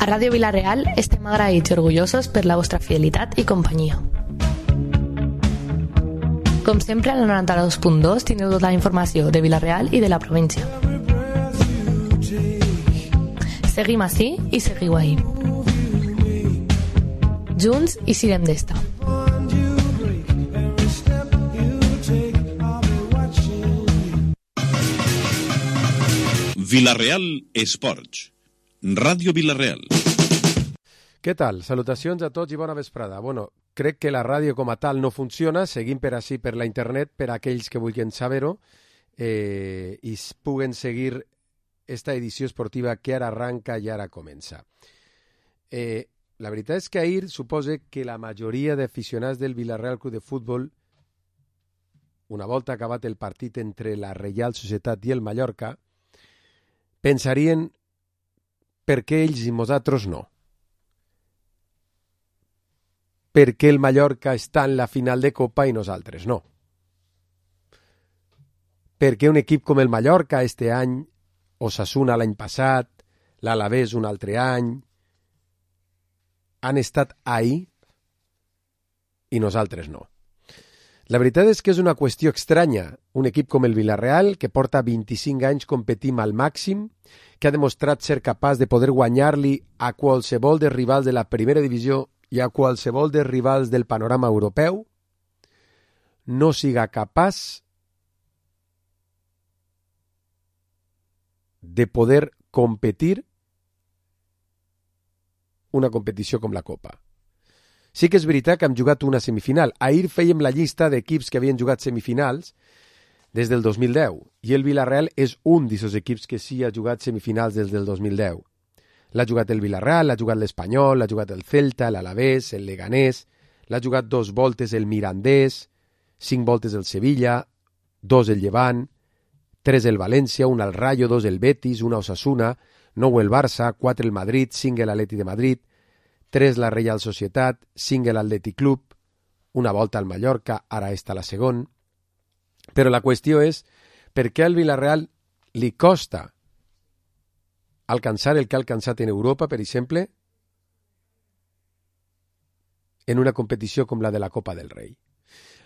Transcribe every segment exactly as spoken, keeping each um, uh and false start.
A Ràdio Vila-real estem agraïts i orgullosos per la vostra fidelitat i companyia. Com sempre, al noranta-dos punt dos teniu tota la informació de Vila-real i de la província. Seguim ací i seguiu ahí. Junts i sirem d'esta. Vila-real Esports. Ràdio Vila-real. Què tal? Salutacions a tots i bona vesprada. Bueno, crec que la ràdio com a tal no funciona, seguim per així per la internet per a aquells que vulguin saber-ho eh, i puguen seguir esta edició esportiva que ara arranca i ara comença. Eh, la veritat és que ahir supose que la majoria d'aficionats del Vila-real Club de Futbol, una volta acabat el partit entre la Reial Societat i el Mallorca, pensarien per què ells i nosaltres no. Per què el Mallorca està en la final de Copa i nosaltres no. Per què un equip com el Mallorca este any, Osasuna l'any passat, l'Alavés un altre any, han estat ahí i nosaltres no. La veritat és que és una qüestió estranya. Un equip com el Vila-real, que porta vint-i-cinc anys competint al màxim, que ha demostrat ser capaç de poder guanyar-li a qualsevol dels rivals de la primera divisió i a qualsevol dels rivals del panorama europeu, no siga capaç de poder competir una competició com la Copa. Sí que és veritat que hem jugat una semifinal. Ahir fèiem la llista d'equips que havien jugat semifinals des del dos mil deu i el Vila-real és un d'aquests equips que sí ha jugat semifinals des del dos mil deu. L'ha jugat el Vila-real, l'ha jugat l'Espanyol, l'ha jugat el Celta, l'Alavés, el Leganés, l'ha jugat dos voltes el Mirandés, cinc voltes el Sevilla, dos el Llevant, tres el València, un al Rayo, dos el Betis, una Osasuna, nou el Barça, quatre el Madrid, cinc l'Atleti de Madrid, tres la Reial Societat, cinc l'Atlètic Club, una volta al Mallorca, ara està la segon. Però la qüestió és per què al Vila-real li costa alcançar el que ha alcançat en Europa, per exemple, en una competició com la de la Copa del Rei.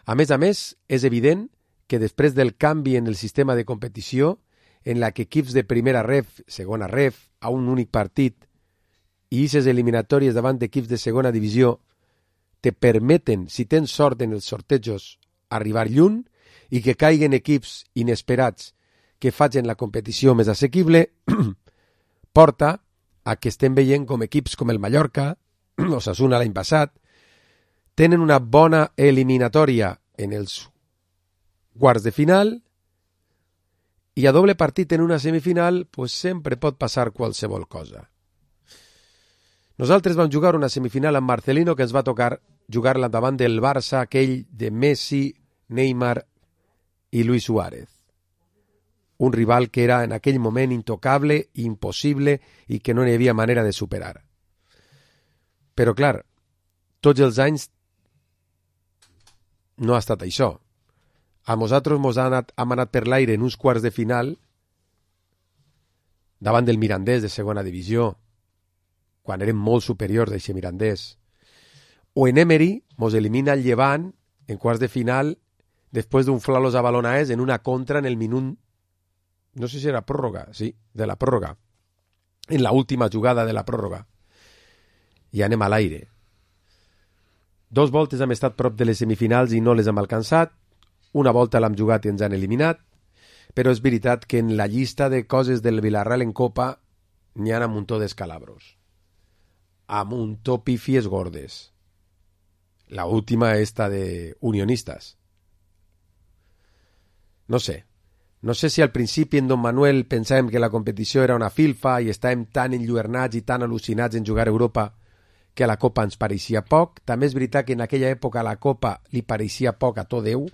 A més a més, és evident que després del canvi en el sistema de competició, en la que equips de primera ref, segona ref, a un únic partit, i aquestes eliminatòries davant d'equips de segona divisió te permeten, si tens sort en els sortejos, arribar lluny i que caiguen equips inesperats que facin la competició més assequible, porta a que estem veient com equips com el Mallorca, Osasuna l'any passat, tenen una bona eliminatòria en els quarts de final i a doble partit en una semifinal pues sempre pot passar qualsevol cosa. Nosaltres vam jugar una semifinal amb Marcelino que ens va tocar jugar-la davant del Barça, aquell de Messi, Neymar i Luis Suárez. Un rival que era en aquell moment intocable, impossible i que no hi havia manera de superar. Però clar, tots els anys no ha estat això. A nosaltres mos ha anat, hem anat per l'aire en uns quarts de final davant del Mirandés de segona divisió, quan érem molt superiors d'aquest Mirandés. O en Emery mos elimina el Llevant en quarts de final després d'un flalos a Balonaes en una contra en el minut, no sé si era pròrroga, sí, de la pròrroga, en la última jugada de la pròrroga. I anem a l'aire. Dos voltes hem estat prop de les semifinals i no les hem alcançat, una volta l'hem jugat i ens han eliminat, però és veritat que en la llista de coses del Vila-real en Copa n'hi ha un muntó d'escalabros. Amb un to pifies gordes. La última esta de Unionistas. No sé. No sé si al principi en Don Manuel pensàvem que la competició era una filfa i estàvem tan enlluernats i tan al·lucinats en jugar a Europa que a la Copa ens pareixia poc. També és veritat que en aquella època a la Copa li pareixia poc a tot Déu.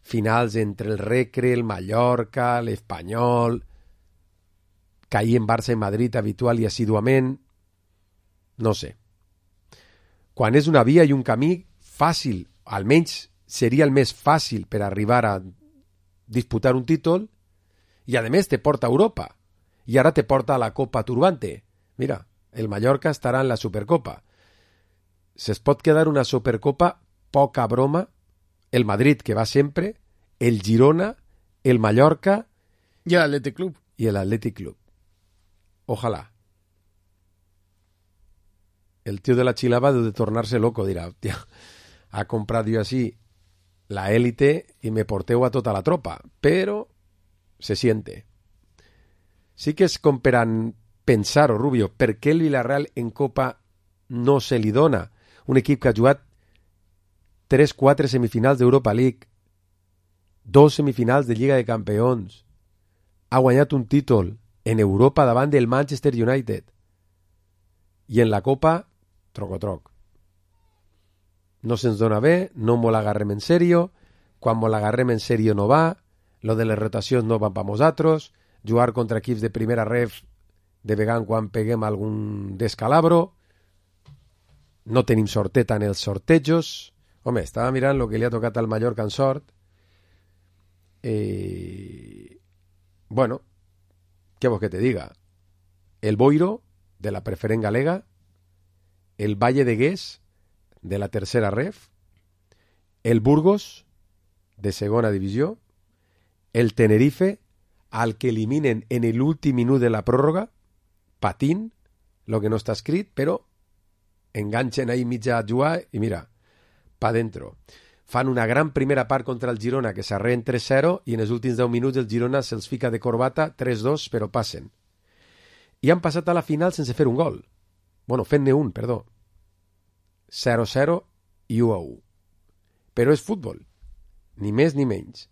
Finals entre el Recre, el Mallorca, l'Espanyol, cair en Barça i Madrid habitual i assiduament. No sé. Quan és una via i un camí fàcil, almenys seria el més fàcil per arribar a disputar un títol, i a més te porta a Europa, i ara te porta a la Copa Turbante. Mira, El Mallorca estarà en la Supercopa. Se'ls pot quedar una Supercopa poca broma, el Madrid, que va sempre, el Girona, el Mallorca y el Athletic Club. Y el Athletic Club. Ojalá. El tío de la Chilava debe de tornar-se loco, dirà, tia, ha comprat jo així la élite i me porteu a tota la tropa, però se siente. Sí que és com per a pensar-ho, Rubio, per què el Villarreal en Copa no se li dona? Un equip que ha jugat tres quatre semifinals d'Europa League, dos semifinals de Lliga de Campions, ha guanyat un títol en Europa davant del Manchester United i en la Copa, troc-o-troc. No se'ns dona bé, no mos l'agarrem en serio, quan mos l'agarrem en serio no va, lo de les rotacions no van pa nosaltres, jugar contra equips de primera ref de vegada quan peguem algun descalabro, no tenim sorteta en els sortejos. Home, estava mirant el que li ha tocat al Mallorca en sort. Eh... Bueno, què vols que te diga? El Boiro, de la preferent galega, el Valle de Gués, de la tercera ref, el Burgos, de segona divisió, el Tenerife, al que eliminen en l'últim minut de la pròrroga, patint, lo que no està escrit, però enganxen ahí mitja a jugar i mira, pa dentro. Fan una gran primera part contra el Girona, que s'arreen tres zero, i en els últims deu minuts el Girona se'ls fica de corbata tres dos, però passen. I han passat a la final sense fer un gol. Bueno, fent-ne un, perdó. zero zero i u a u. Però és futbol. Ni més ni menys.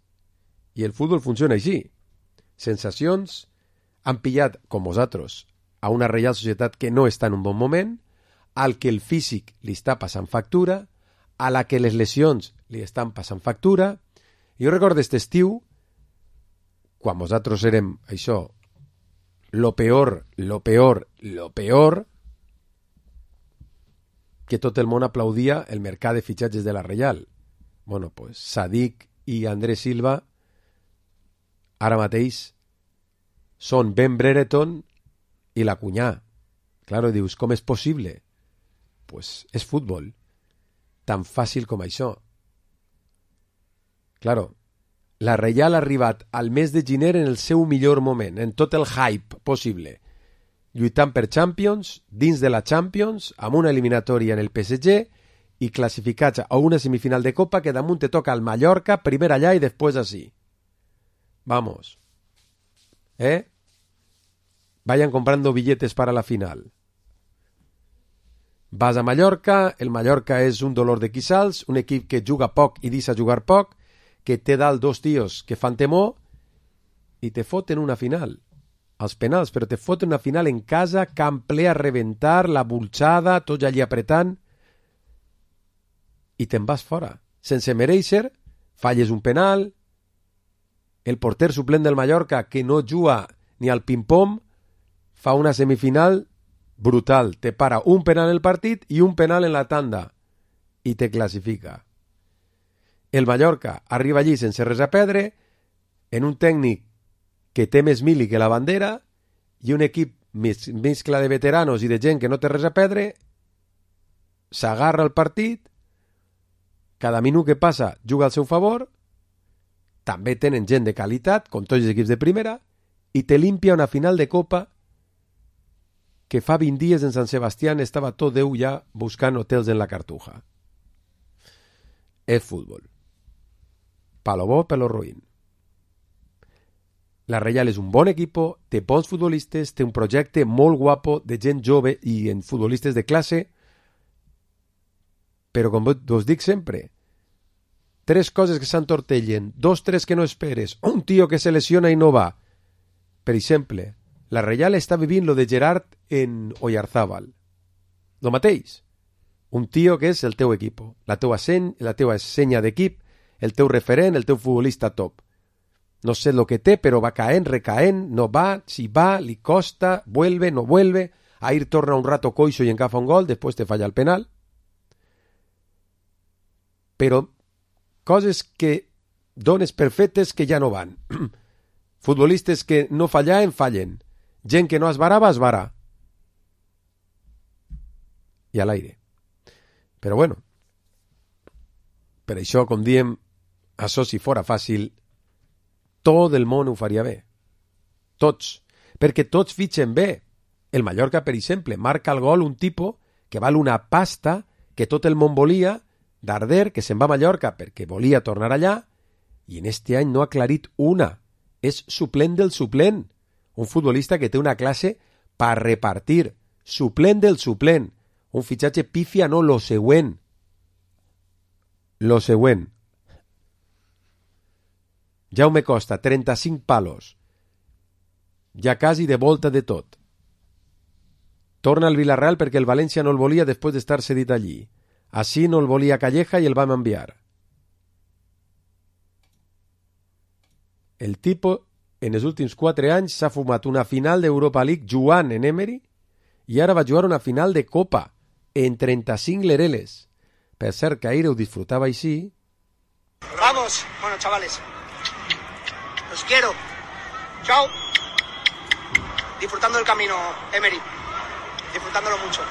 I el futbol funciona així. Sensacions, han pillat, com vosaltres, a una Reial Societat que no està en un bon moment, al que el físic li està passant factura, a la que les lesions li estan passant factura. Jo recordo aquest estiu, quan nosaltres érem, això, lo peor, lo peor, lo peor, que tot el món aplaudia el mercat de fitxatges de la Reial. Bueno, pues Sadik i Andrés Silva ara mateix són Ben Brereton i la Cunyà. Claro, dius, com és possible? Pues és futbol. Tan fàcil com això. Claro, la Reial ha arribat al mes de gener en el seu millor moment, en tot el hype possible, lluitant per Champions, dins de la Champions, amb una eliminatòria en el P S G i classificats a una semifinal de Copa que damunt te toca al Mallorca, primer allà i després així. Vamos. ¿Eh? Vayan comprando billetes para la final. Vas a Mallorca, el Mallorca és un dolor de quissals, un equip que juga poc i deixa jugar poc, que té dalt dos tios que fan temor i te foten una final. Als penals, però te foten una final en casa, camp ple a reventar, la bulxada, tots allí apretant, i te'n vas fora. Sense mereixer, falles un penal, el porter suplent del Mallorca, que no juga ni al ping-pong, fa una semifinal brutal. Te para un penal en el partit i un penal en la tanda, i te classifica. El Mallorca arriba allí sense res a perdre, en un tècnic que té més mili que la bandera i un equip mescla de veteranos i de gent que no té res a perdre, s'agarra el partit, cada minut que passa juga al seu favor, també tenen gent de qualitat, com tots els equips de primera, i te limpia una final de Copa que fa vint dies en Sant Sebastián estava tot Déu ja buscant hotels en la Cartuja. És futbol. Palo bo, palo ruïn. La Reial és un bon equip, té bons futbolistes, té un projecte molt guapo de gent jove i en futbolistes de classe, però com us dic sempre, tres coses que s'entortellen, dos, tres que no esperes, un tio que se lesiona i no va. Per exemple, la Reial està vivint lo de Gerard en Oyarzábal. Lo mateix. Un tio que és el teu equip, la teua seny, la teua senya d'equip, el teu referent, el teu futbolista top. No sé lo que té, però va caent, recaent, no va, si va, li costa, vuelve, no vuelve, ahir torna un rato coixo i encafa un gol, després te falla el penal. Però coses que dones perfectes que ja no van. Futbolistes que no fallaven, fallen. Gent que no esbarava, esbarà. i a l'aire. Però bueno, per això, com diem, això si fora fàcil, tot el món ho faria bé. Tots. Perquè tots fitxen bé. El Mallorca, per exemple, marca el gol un tipus que val una pasta que tot el món volia, Darder, que se'n va a Mallorca perquè volia tornar allà, i en este any no ha aclarit una. És suplent del suplent. Un futbolista que té una classe per repartir. Suplent del suplent. Un fitxatge pífia, no, lo següent. Lo següent. Jaume Costa, trenta-cinc palos. Ja quasi de volta de tot. Torna al Villarreal perquè el València no el volia després d'estar cedit allí. Així no el volia Calleja i el vam enviar. El tipo en els últims quatre anys s'ha fumat una final d'Europa League jugant en Emery i ara va jugar una final de Copa en trenta-cinc lereles. Per cert, que ahir ho disfrutava així. Vamos, bueno, chavales. Los quiero. Chao. Disfrutando del camino, Emery. Disfrutándolo mucho.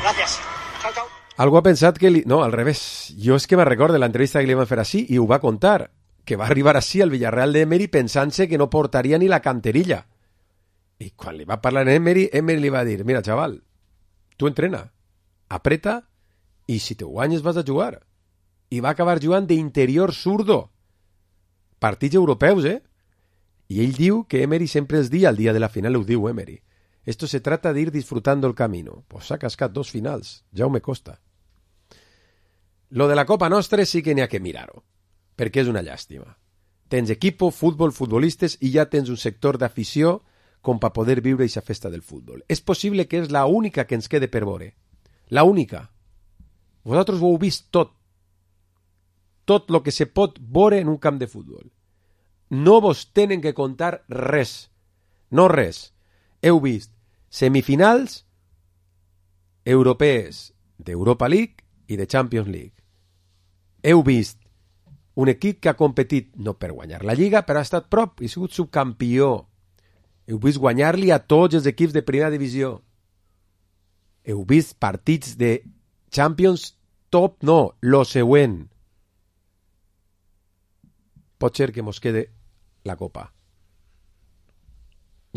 Gracias. Chao, chao. Algú ha pensat que... Li... No, al revés. Jo és que me recordo l'entrevista que li van fer així i ho va contar. Que va arribar així al Villarreal d'Emery pensant-se que no portaria ni la canterilla. I quan li va parlar a Emery, Emery li va dir, mira, xaval, tu entrena, apreta i si te guanyes vas a jugar. I va acabar jugant d'interior zurdo. Partits europeus, eh? I ell diu que Emery sempre els dia, el dia de la final ho diu Emery. Esto se trata de ir disfrutando el camino. Pues s'ha cascat dos finals. Jaume Costa. Lo de la Copa Nostra sí que n'hi ha que mirar-ho. Perquè és una llàstima. Tens equipo, futbol, futbolistes i ja tens un sector d'afició com per poder viure aquesta festa del futbol. És possible que és la única que ens quede per veure. La única. Vosaltres ho heu vist tot. Tot el que se pot veure en un camp de futbol. No vos tenen que contar res. No res. Heu vist semifinals europees d'Europa League i de Champions League. Heu vist un equip que ha competit no per guanyar la Lliga, però ha estat prop i ha sigut subcampió. Heu vist guanyar-li a tots els equips de primera divisió. Heu vist partits de Champions top, no, lo següent. Pot ser que mos quede la Copa.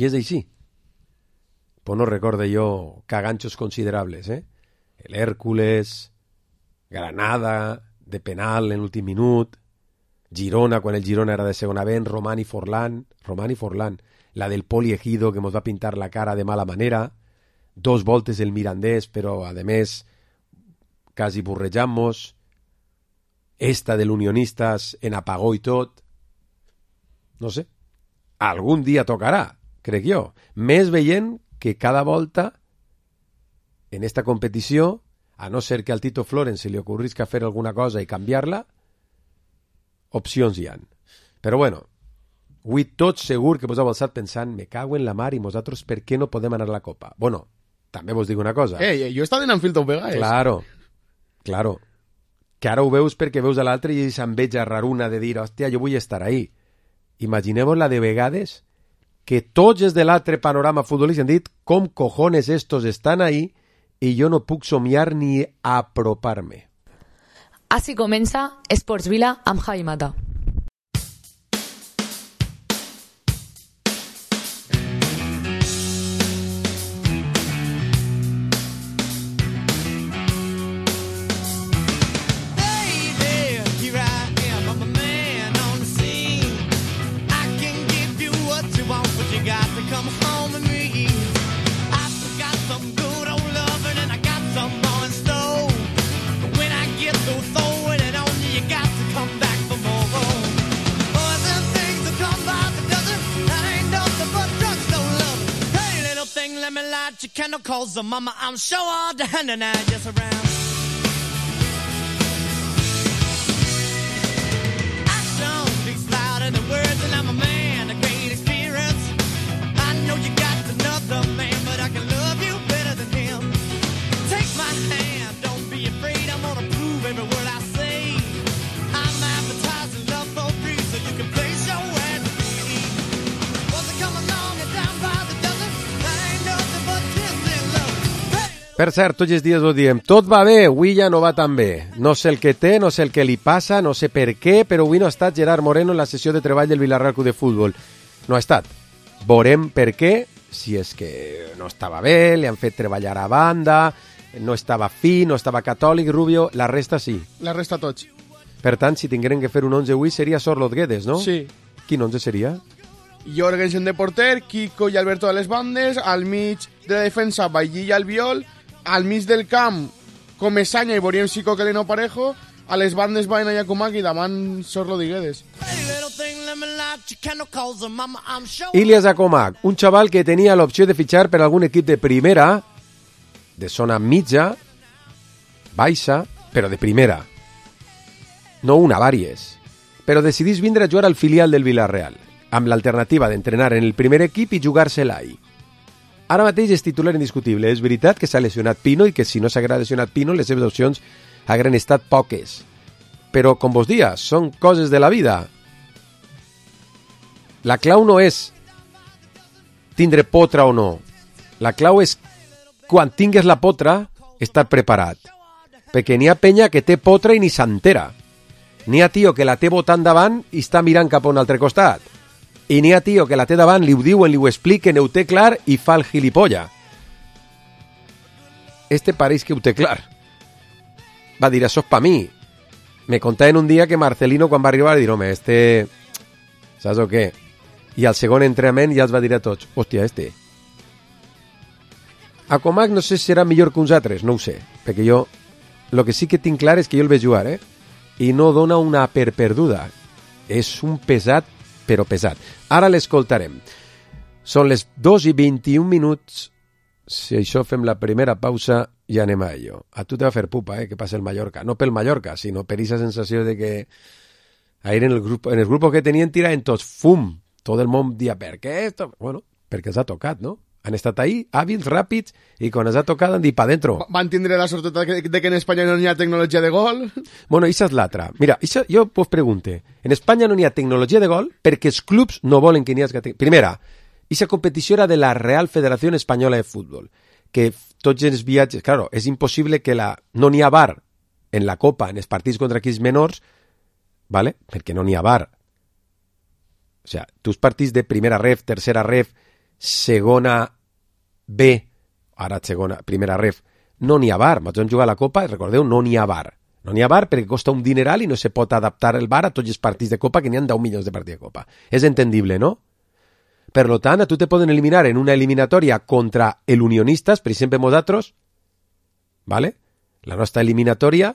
I és així. Pues no recorde jo caganchos considerables, eh? El Hércules, Granada, de penal en l'últim minut, Girona, quan el Girona era de segona B, Román i Forlán, Román i Forlán, la del Poli Ejido, que mos va pintar la cara de mala manera, dos voltes del Mirandés, però, a més, quasi borrejamos, esta de l'Unionistas en apagó i tot. No sé, algun dia tocarà, crec jo, més veient que cada volta en esta competició, a no ser que al Tito Florent se li ocorrisca fer alguna cosa i canviar-la, opcions hi han. Però bueno, avui tot segur que vos heu alçat pensant me cago en la mar i nosaltres per què no podem anar a la Copa? Bueno, també vos dic una cosa. Eh, jo he estat en Anfield vegades. Claro, claro. Que ara ho veus perquè veus a l'altre i s'enveja raruna de dir, hòstia, jo vull estar ahí. Imagineu la de vegades que tots els de l'altre panorama futbolístic han dit com cojones estos estan ahí i jo no puc somiar ni apropar-me. Així comença Esports Vila amb Javi Mata. Cause of mama, I'm sure all the hand and I just around. Action speaks louder than words, and I'm a man of great experience. I know you got another man, but I can love you better than him. Take my hand, don't be afraid. I'm gonna prove every word I say. I'm advertising love for free, so you can place your ad to me. Wasn't come along and down by the dozen. That ain't nothing but kiss. Per cert, tots els dies ho diem, tot va bé, avui ja no va tan bé. No sé el que té, no sé el que li passa, no sé per què, però avui no ha estat Gerard Moreno en la sessió de treball del Villarreal Club de Futbol. No ha estat. Veurem per què, si és que no estava bé, li han fet treballar a banda, no estava fi, no estava catòlic, Rubio, la resta sí. La resta tots. Per tant, si tingueren que fer un onze avui, seria Sorloth Guedes, no? Sí. Quin onze seria? Jorgensen de porter, Kiko i Alberto de les bandes, al mig de la defensa, Bailly i Albiol, al mig del camp, Comesaña i Boriem Sico que no parejo, a les bandes Baena i Akumak i davant Sorloth i Guedes. Ilias Akumak, un xaval que tenia l'opció de fitxar per algun equip de primera, de zona mitja, baixa, però de primera. No una, vàries. Però decidís vindre a jugar al filial del Villarreal, amb l'alternativa d'entrenar en el primer equip i jugar-se-la ahí. Ara mateix és titular indiscutible. És veritat que s'ha lesionat Pino i que si no s'hagués lesionat Pino les seves opcions hagueren estat poques. Però, com vos dia, són coses de la vida. La clau no és tindre potra o no. La clau és, quan tingues la potra, estar preparat. Perquè n'hi ha penya que té potra i ni s'entera. N'hi ha tio que la té botant davant i està mirant cap a un altre costat. I n'hi ha tio que la té davant, li ho diuen, li ho expliquen, ho té clar i fa el gilipolla. Este pareix que ho té clar. Va dir, això és pa mi. Me contaven un dia que Marcelino, quan va arribar, va dir, home, este... Saps o què? I al segon entrenament ja els va dir a tots, hòstia, este... Akumak no sé si serà millor que uns altres, no ho sé, perquè jo... Lo que sí que tinc clar és que jo el veig jugar, eh? I no dona una per perduda. És un pesat, però pesat. Ara l'escoltarem. Són les dos i vint-i-un minuts. Si això fem la primera pausa, ja anem a ello. A tu te va fer pupa, eh, que passa el Mallorca. No pel Mallorca, sinó per aquesta sensació de que ahir en el grup, en el grup que tenien tiraven tots fum. Tot el món dia, per què? Esto? Bueno, perquè els ha tocat, no? Han estat ahí, hàbils, ràpids, i quan els ha tocat han dit pa dentro. Van tindre la sort de que, de que en Espanya no hi ha tecnologia de gol. Bueno, això és l'altra. Mira, això, jo vos pregunte, en Espanya no hi ha tecnologia de gol perquè els clubs no volen que n'hi hagi... Primera, aquesta competició era de la Real Federación Española de Fútbol, que tots els viatges... Claro, és impossible que la... no n'hi ha V A R en la Copa, en els partits contra equips menors, ¿vale? Perquè no n'hi ha V A R. O sea, tus partits de primera ref, tercera ref, segona B, ara segona, primera ref, no n'hi ha V A R. Nosaltres vam jugar a la Copa i recordeu, no n'hi ha V A R. No n'hi ha V A R perquè costa un dineral i no se pot adaptar el V A R a tots els partits de Copa, que n'hi ha deu milions de partits de Copa. És entendible, no? Per lo tant, a tu te poden eliminar en una eliminatòria contra el Unionistas, per exemple, nosaltres, ¿vale? La nostra eliminatòria,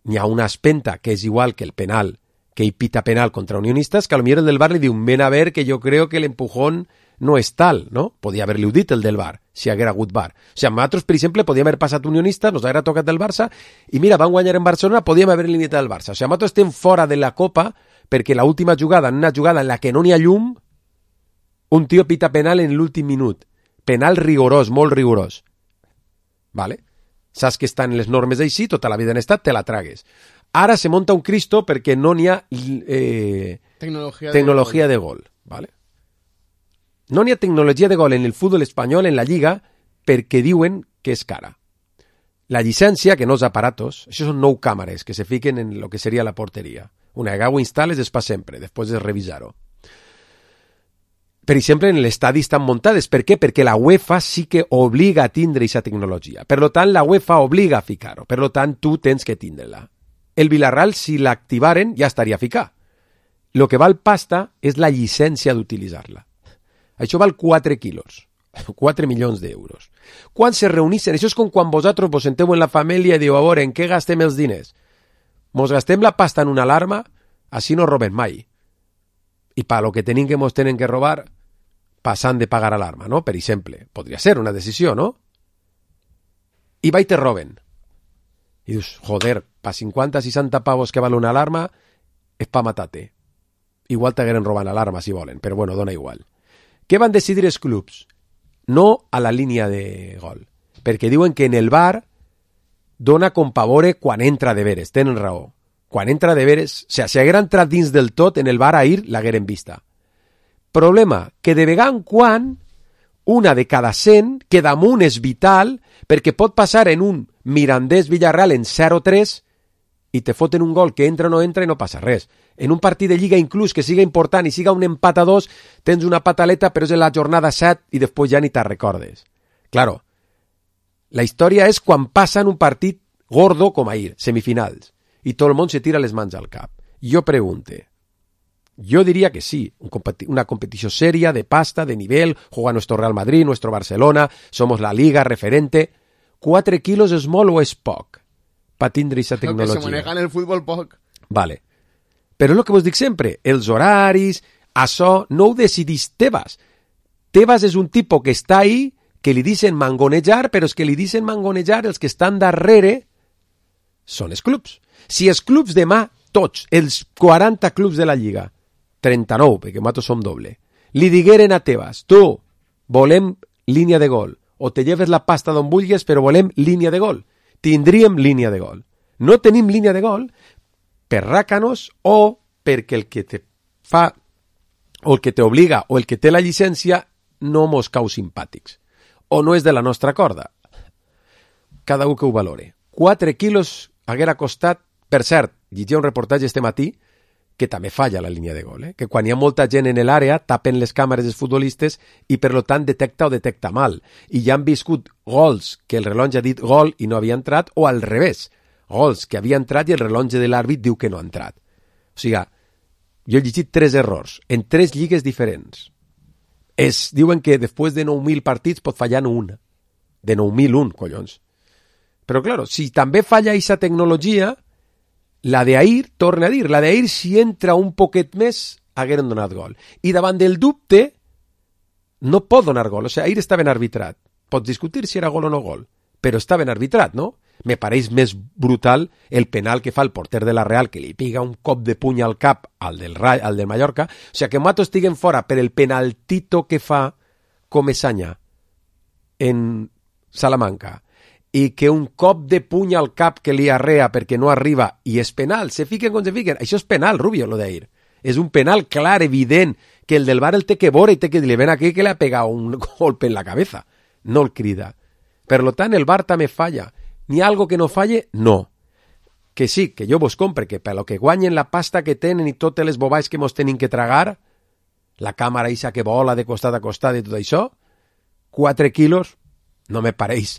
n'hi ha una espenta que és igual que el penal, que hi pita penal contra Unionistas, que a lo millor el del V A R li diu, ven a ver que yo creo que el empujón no és tal, no? Podia haver-li dit el del V A R, si haguera hagut V A R. O sigui, nosaltres, per exemple, podíem haver passat Unionistas, nos haguera tocat el Barça, i mira, van guanyar en Barcelona, podíem haver limitat el Barça. O sigui, nosaltres estem fora de la Copa perquè la última jugada, en una jugada en la que no n'hi ha llum, un tio pita penal en l'últim minut. Penal rigorós, molt rigorós. Vale? Saps que estan les normes així, tota la vida han estat, te la tragues. Ara se monta un Cristo perquè no n'hi ha eh, tecnologia, tecnologia de gol. de gol. Vale? No n'hi ha tecnologia de gol en el futbol espanyol, en la Lliga, perquè diuen que és cara. La llicència, que no és aparatos, això són nou càmeres que se fiquen en lo que seria la porteria. Una vegada ho instal·les és per sempre, després de revisar-ho. Per exemple, en l'estadi estan muntades. Per què? Perquè la UEFA sí que obliga a tindre aquesta tecnologia. Per tant, la UEFA obliga a ficar-ho. Per tant, tu tens que tindre-la. El Villarreal, si l'activaren, ja estaria a ficar. Lo que val pasta és la llicència d'utilitzar-la. Això val quatre quilos. quatre milions d'euros. Quan se reunissen, això és com quan vosaltres vos senteu en la família i diu, a veure, en què gastem els diners? Mos gastem la pasta en una alarma, així no roben mai. I per lo que tenim que mos tenen que robar, passant de pagar alarma, no? Per exemple, podria ser una decisió, no? I va i te roben. I dius, joder, pa cinquanta seixanta pavos que val una alarma, és pa matar-te. Igual t'hagueren robant l'alarma, si volen, però bueno, dona igual. Què van decidir els clubs? No a la línia de gol. Perquè diuen que en el V A R dona com pavore quan entra de veres. Tenen raó. Quan entra de veres, o sigui, si haguera entrat dins del tot, en el V A R ahir l'hagueren vista. Problema, que de vegada en quan una de cada cent, que damunt és vital, perquè pot passar en un Mirandés-Villarreal en zero tres i te foten un gol que entra o no entra i no passa res. En un partit de Lliga, inclús que siga important i siga un empat a dos, tens una pataleta, però és en la jornada set i després ja ni te'n recordes. Claro, la història és quan passa en un partit gordo com ahir, semifinals, i tot el món se tira les mans al cap. Jo pregunte, yo diría que sí, un competi- una competición seria, de pasta, de nivel, juega nuestro Real Madrid, nuestro Barcelona, somos la liga referente. ¿Quatre kilos és molt o és poc? Per tindre aquesta Lo que tecnologia. se maneja en el fútbol poc. Vale. Però és el que vos dic sempre, els horaris, això no ho decidís Tebas. Tebas és un tipus que està ahí, que li dicen mangonejar, però és que li dicen mangonejar els que estan darrere són els clubs. Si els clubs demà, tots, els quaranta clubs de la Lliga, trenta-nou, perquè nosaltres som doble, li digueren a Tebas, tu, volem línia de gol, o te lleves la pasta d'on vulguis, però volem línia de gol. Tindríem línia de gol. No tenim línia de gol per ràcanos o perquè el que te fa, o el que te obliga, o el que té la llicència, no mos cau simpàtics. O no és de la nostra corda. Cada un que ho valore. quatre quilos haguera costat, per cert, llegia un reportatge este matí, que també falla la línia de gol, eh? Que quan hi ha molta gent en l'àrea tapen les càmeres dels futbolistes i per lo tant detecta o detecta mal. I ja han viscut gols que el rellotge ha dit gol i no havia entrat, o al revés, gols que havia entrat i el rellotge de l'àrbit diu que no ha entrat. O sigui, jo he llegit tres errors en tres lligues diferents. Es diuen que després de nou mil partits pot fallar un. De nou mil un, collons. Però, claro, si també falla aquesta tecnologia, la d'ahir, torna a dir, la d'ahir si entra un poquet més, hagueren donat gol. I davant del dubte, no pot donar gol. O sigui, ahir està ben arbitrat. Pots discutir si era gol o no gol, però està ben arbitrat, no? Me pareix més brutal el penal que fa el porter de la Real, que li piga un cop de puny al cap al del, al del Mallorca. O sigui, que Mato estiguen fora per el penaltito que fa Comesaña en Salamanca, i que un cop de puny al cap que li arrea perquè no arriba i és penal, se fiquen com se fiquen, això és penal, Rubio, lo d'ahir. És un penal clar, evident, que el del bar el té que veure i té que dir, ven aquí que le ha pegat un golpe en la cabeza. No el crida. Per lo tant, el bar també falla. N'hi ha algo que no falle? No. Que sí, que jo vos compre, que per lo que guanyen la pasta que tenen i totes les bobais que mos tenen que tragar, la càmera isa que vola de costat a costat i tot això, quatre quilos no me pareix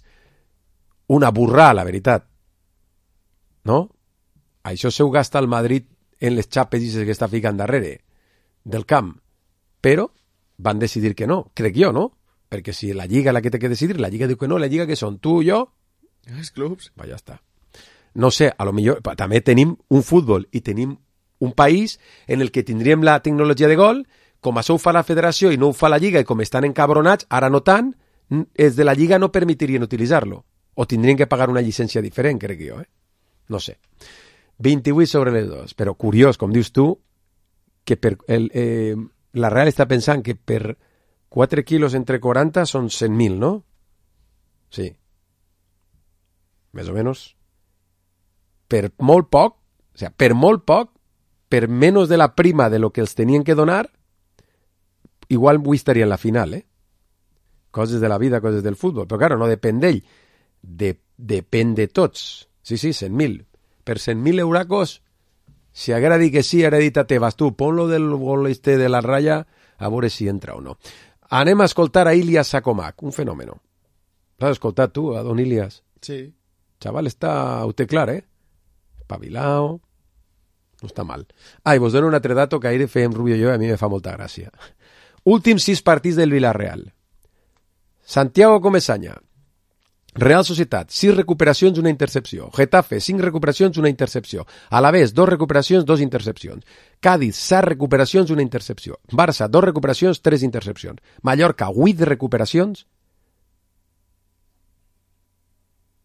una burrà, la veritat. No? Això se ho gasta el Madrid en les xapes que està ficant darrere del camp. Però van decidir que no, crec jo, no? Perquè si la Lliga la que té que decidir, la Lliga diu que no, la Lliga que són tu i jo, Els clubs. va, ja està. No sé, a lo millor també tenim un futbol i tenim un país en el que tindríem la tecnologia de gol, com això ho fa la federació i no ho fa la Lliga, i com estan encabronats, ara no tant, els de la Lliga no permetirien utilitzar-lo. O tindrien que pagar una llicència diferent, crec jo, eh? No sé. vint-i-vuit sobre les dos. Però curiós, com dius tu, que per el, eh, la Real està pensant que per quatre quilos entre quaranta són cent mil, no? Sí. Més o menys. Per molt poc, o sea, per molt poc, per menys de la prima de lo que els tenien que donar, igual avui estaria en la final, eh? Coses de la vida, coses del futbol. Però, claro, no depèn d'ell. De, depèn de tots. Sí, sí, cent mil. Per cent mil euracos, si haguera dit que sí, haguera dit a Tebas, tu, pon-lo del gol este de la raya, a veure si entra o no. Anem a escoltar a Ilias Sakomak, un fenòmeno. L'has escoltat tu, a don Ilias? Sí. Chaval, està, ho té clar, eh? Espavilao, no està mal. Ah, i vos dono un altre dato que ahir fèiem Rubio i jo, i a mi me fa molta gràcia. Últims sis partits del Villarreal. Santiago Comesaña, Real Societat, sis recuperacions, una intercepció. Getafe, cinc recuperacions, una intercepció. Alavés, dos recuperacions, dos intercepcions. Cádiz, set recuperacions, una intercepció. Barça, dos recuperacions, tres intercepcions. Mallorca, vuit recuperacions,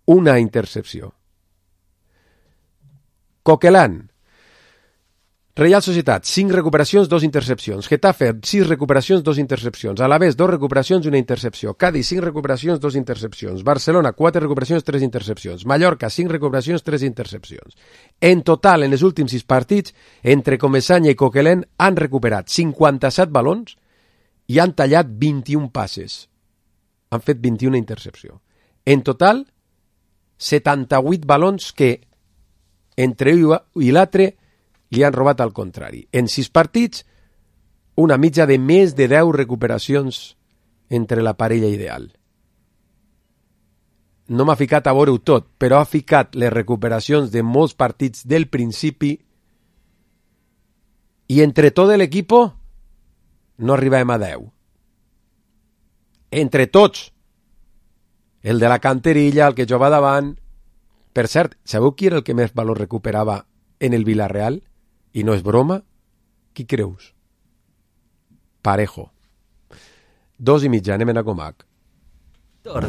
una intercepció. Coquelán, Real Societat, cinc recuperacions, dos intercepcions. Getafe, sis recuperacions, dos intercepcions. Alavés, dos recuperacions, una intercepció. Cádiz, cinc recuperacions, dos intercepcions. Barcelona, quatre recuperacions, tres intercepcions. Mallorca, cinc recuperacions, tres intercepcions. En total, en els últims sis partits, entre Comesaña i Coquelin han recuperat cinquanta-set balons i han tallat vint-i-un passes. han fet vint-i-una intercepció. En total, setanta-vuit balons que entre un i l'altre li han robat al contrari. En sis partits, una mitja de més de deu recuperacions entre la parella ideal. No m'ha ficat a veure-ho tot, però ha ficat les recuperacions de molts partits del principi i entre tot l'equip no arribem a deu. Entre tots. El de la canterilla, el que jugava davant. Per cert, sabeu qui era el que més valor recuperava en el Villarreal? I no és broma? Qui creus? Parejo. Dos i mitja, anem a Comac.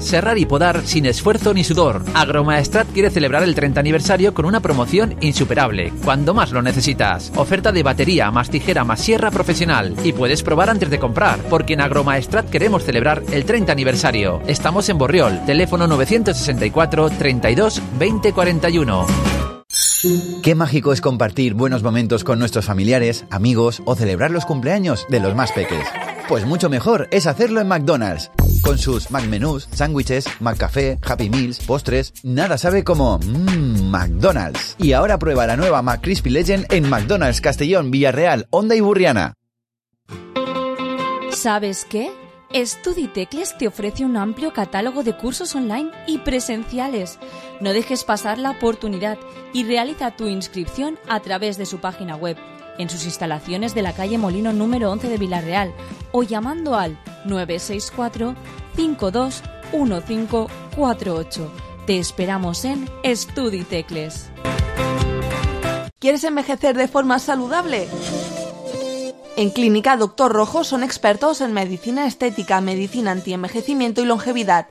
Serrar y podar sin esfuerzo ni sudor. Agromaestrat quiere celebrar el treinta aniversario con una promoción insuperable, cuando más lo necesitas. Oferta de batería, más tijera, más sierra profesional. Y puedes probar antes de comprar, porque en Agromaestrat queremos celebrar el treinta aniversario. Estamos en Borriol, teléfono novecientos sesenta y cuatro, treinta y dos, veinte cuarenta y uno. Qué mágico es compartir buenos momentos con nuestros familiares, amigos o celebrar los cumpleaños de los más peques. Pues mucho mejor es hacerlo en McDonald's. Con sus McMenús, sándwiches, McCafé, Happy Meals, postres, nada sabe como mmm, McDonald's. Y ahora prueba la nueva McCrispy Legend en McDonald's Castellón, Villarreal, Onda y Burriana. ¿Sabes qué? Estuditecles te ofrece un amplio catálogo de cursos online y presenciales. No dejes pasar la oportunidad y realiza tu inscripción a través de su página web, en sus instalaciones de la calle Molino número once de Villarreal o llamando al nueve seis cuatro, cinco dos uno cinco cuatro ocho. Te esperamos en Estuditecles. ¿Quieres envejecer de forma saludable? En Clínica Doctor Rojo son expertos en medicina estética, medicina antienvejecimiento y longevidad.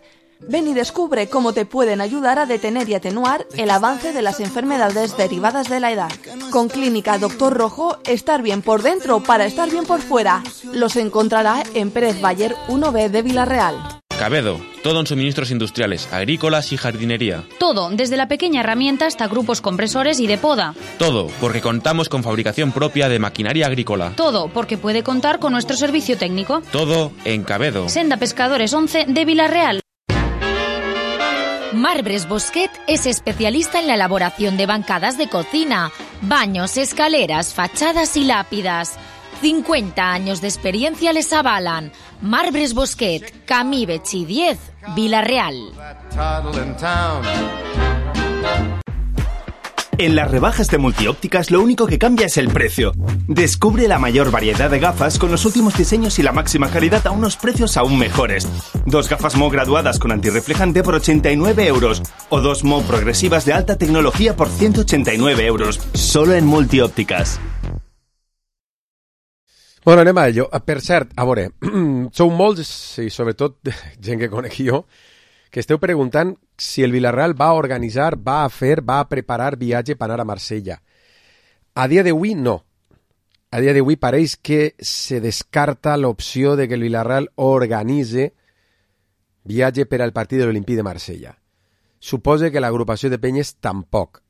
Ven y descubre cómo te pueden ayudar a detener y atenuar el avance de las enfermedades derivadas de la edad. Con Clínica Doctor Rojo, estar bien por dentro para estar bien por fuera. Los encontrará en Pérez Bayer uno B de Villarreal. Cabedo, todo en suministros industriales, agrícolas y jardinería. Todo, desde la pequeña herramienta hasta grupos compresores y de poda. Todo, porque contamos con fabricación propia de maquinaria agrícola. Todo, porque puede contar con nuestro servicio técnico. Todo en Cabedo. Senda Pescadores once de Villarreal. Marbres Bosquet es especialista en la elaboración de bancadas de cocina, baños, escaleras, fachadas y lápidas. cincuenta años de experiencia les avalan. Marbres Bosquet, Camí Betxí diez, Villarreal. En las rebajas de Multiópticas lo único que cambia es el precio. Descubre la mayor variedad de gafas con los últimos diseños y la máxima calidad a unos precios aún mejores. Dos gafas M O graduadas con antirreflejante por ochenta y nueve euros o dos M O progresivas de alta tecnología por ciento ochenta y nueve euros. Solo en Multiópticas. Bueno, anem a ello. Per cert, a veure, sou molts, i sobretot gent que conec jo, que esteu preguntant si el Villarreal va a organitzar, va a fer, va a preparar viatge per anar a Marsella. A dia d'avui, no. A dia d'avui pareix que se descarta l'opció de que el Villarreal organitze viatge per al partit de l'Olimpí de Marsella. Suposa que l'agrupació de penyes tampoc.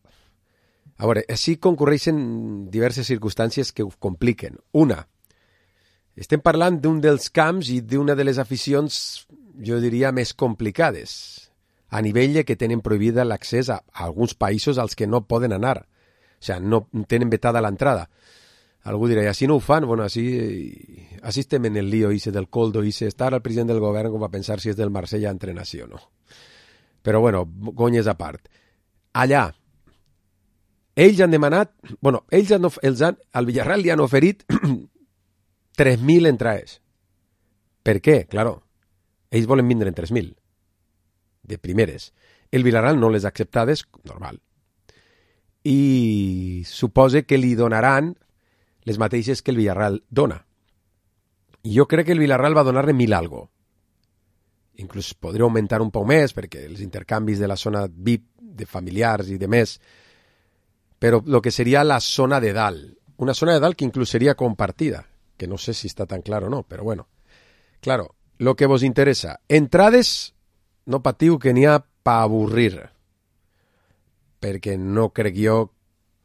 A veure, així concurreixen diverses circumstàncies que ho compliquen. Una, estem parlant d'un dels camps i d'una de les aficions, jo diria, més complicades, a nivell de que tenen prohibida l'accés a, a alguns països als que no poden anar. O sigui, no tenen vetada l'entrada. Algú dirà, així no ho fan? Bueno, així, així estem en el lío ese del coldo, ese estar al president del govern com a pensar si és del Marsella entrenació o no. Però bueno, gonyes a part. Allà, ells han demanat, bueno, ells han, els han, al Villarreal li han oferit tres mil entrades. Per què? Claro, ells volen vindre en tres mil. De primeres. El Villarreal no les ha acceptades, normal. I suposa que li donaran les mateixes que el Villarreal dona. I jo crec que el Villarreal va donar-ne mil algo. Inclús podria augmentar un poc més, perquè els intercanvis de la zona V I P, de familiars i de més, però el que seria la zona de dalt. Una zona de dalt que inclús seria compartida, que no sé si está tan claro o no, pero bueno. Claro, lo que vos interesa. Entrades, no patiu que n'hi ha pa avorrir, perquè no crec jo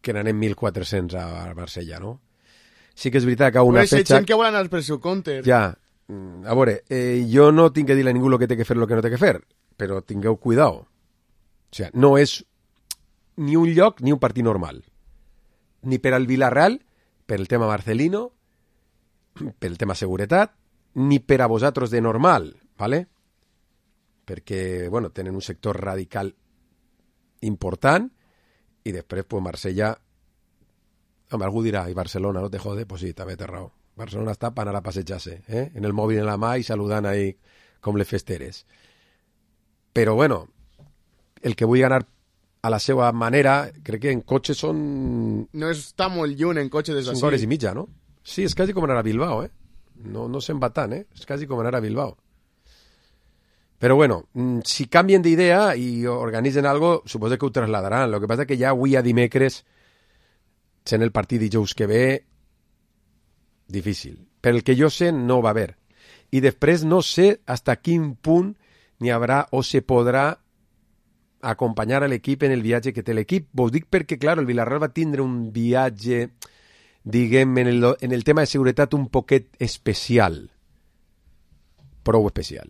que n'anem mil quatre-cents a Marsella, no? Sí que és veritat que a una pues fecha... que volen els pressucomptes. Ja, a veure, eh, jo no tinc que dir a ningú el que té que fer i el que no té que fer, però tingueu cuidao. O sigui, no és ni un lloc ni un partit normal. Ni per al Villarreal, per el tema Marcelino, per el tema seguretat, ni per a vosaltres de normal, ¿vale? Perquè, bueno, tenen un sector radical important i després, pues, Marsella... Home, algú dirà, i Barcelona, no te jode? Pues sí, també té raó. Barcelona està per anar a passejar-se, eh? En el mòbil en la mà i saludant ahí com les festeres. Però, bueno, el que vull anar a la seva manera, crec que en cotxe són... No està molt lluny en cotxe des d'ací. Cinc hores i mitja, no? Sí, és quasi com anar a Bilbao, eh? No, no se'n va tant, eh? És quasi com anar a Bilbao. Però bueno, si canvien d'idea i organitzen algo, suposo que ho trasladaran. Lo que passa que ja avui a dimecres, sent el partit dijous que ve, difícil. Per el que jo sé, no va haver. I després no sé hasta quin punt n'hi haurà o se podrà acompanyar a l'equip en el viatge que té l'equip. Vos dic perquè, clar, el Villarreal va tindre un viatge, diguem, en el, en el tema de seguretat un poquet especial. Prou especial.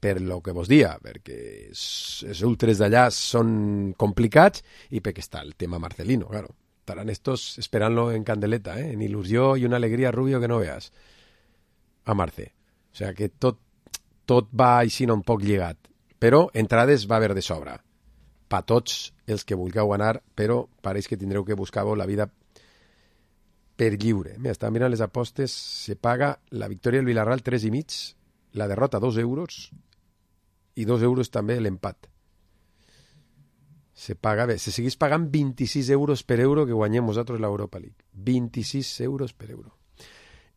Per lo que vos dia, perquè els ultres d'allà són complicats i perquè està el tema Marcelino, claro. Estarán estos esperant-lo en candeleta, eh? En il·lusió i una alegria, Rubio, que no veas. A Marce. O sea que tot, tot va així un poc lligat. Però entrades va haver de sobra. Pa tots els que vulgueu anar, però pareix que tindreu que buscar-vos la vida per lliure. Mira, estava mirant les apostes, se paga la victòria del Villarreal tres i mig, la derrota dos euros i dos euros també l'empat. Se paga bé. Se seguís pagant vint-i-sis euros per euro que guanyem nosaltres l'Europa League. vint-i-sis euros per euro.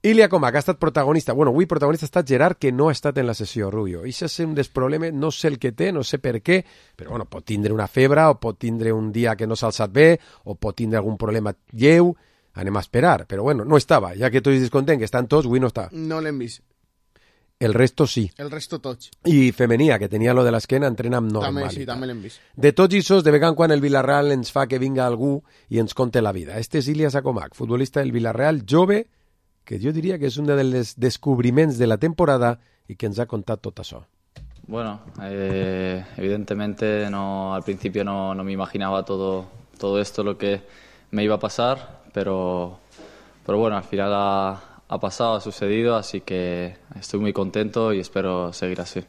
Ilya Comac ha estat protagonista. Bueno, avui protagonista ha estat Gerard, que no ha estat en la sessió, Rubio. I això és un dels problemes, no sé el que té, no sé per què, però bueno, pot tindre una febre, o pot tindre un dia que no s'ha alçat bé, o pot tindre algun problema lleu. Anem a esperar. Però bueno, no estava. Ja que tots descontent que estan tots, avui no està. No l'hem vist. El resto sí. El resto tots. I Femenia, que tenia lo de l'esquena, entrena amb normalitat. També sí, també l'hem vist. De tots ixos, de vegades quan el Villarreal ens fa que vinga algú i ens conte la vida. Este és Ilya Comac, futbolista del Villarreal, jove, que jo diria que és un dels descobriments de la temporada i que ens ha contat tot això. Bueno, eh, evidentemente no, al principio no, no me imaginaba todo, todo esto lo que me iba a pasar, pero, pero bueno, al final ha... ha pasado, ha sucedido, así que estoy muy contento y espero seguir así.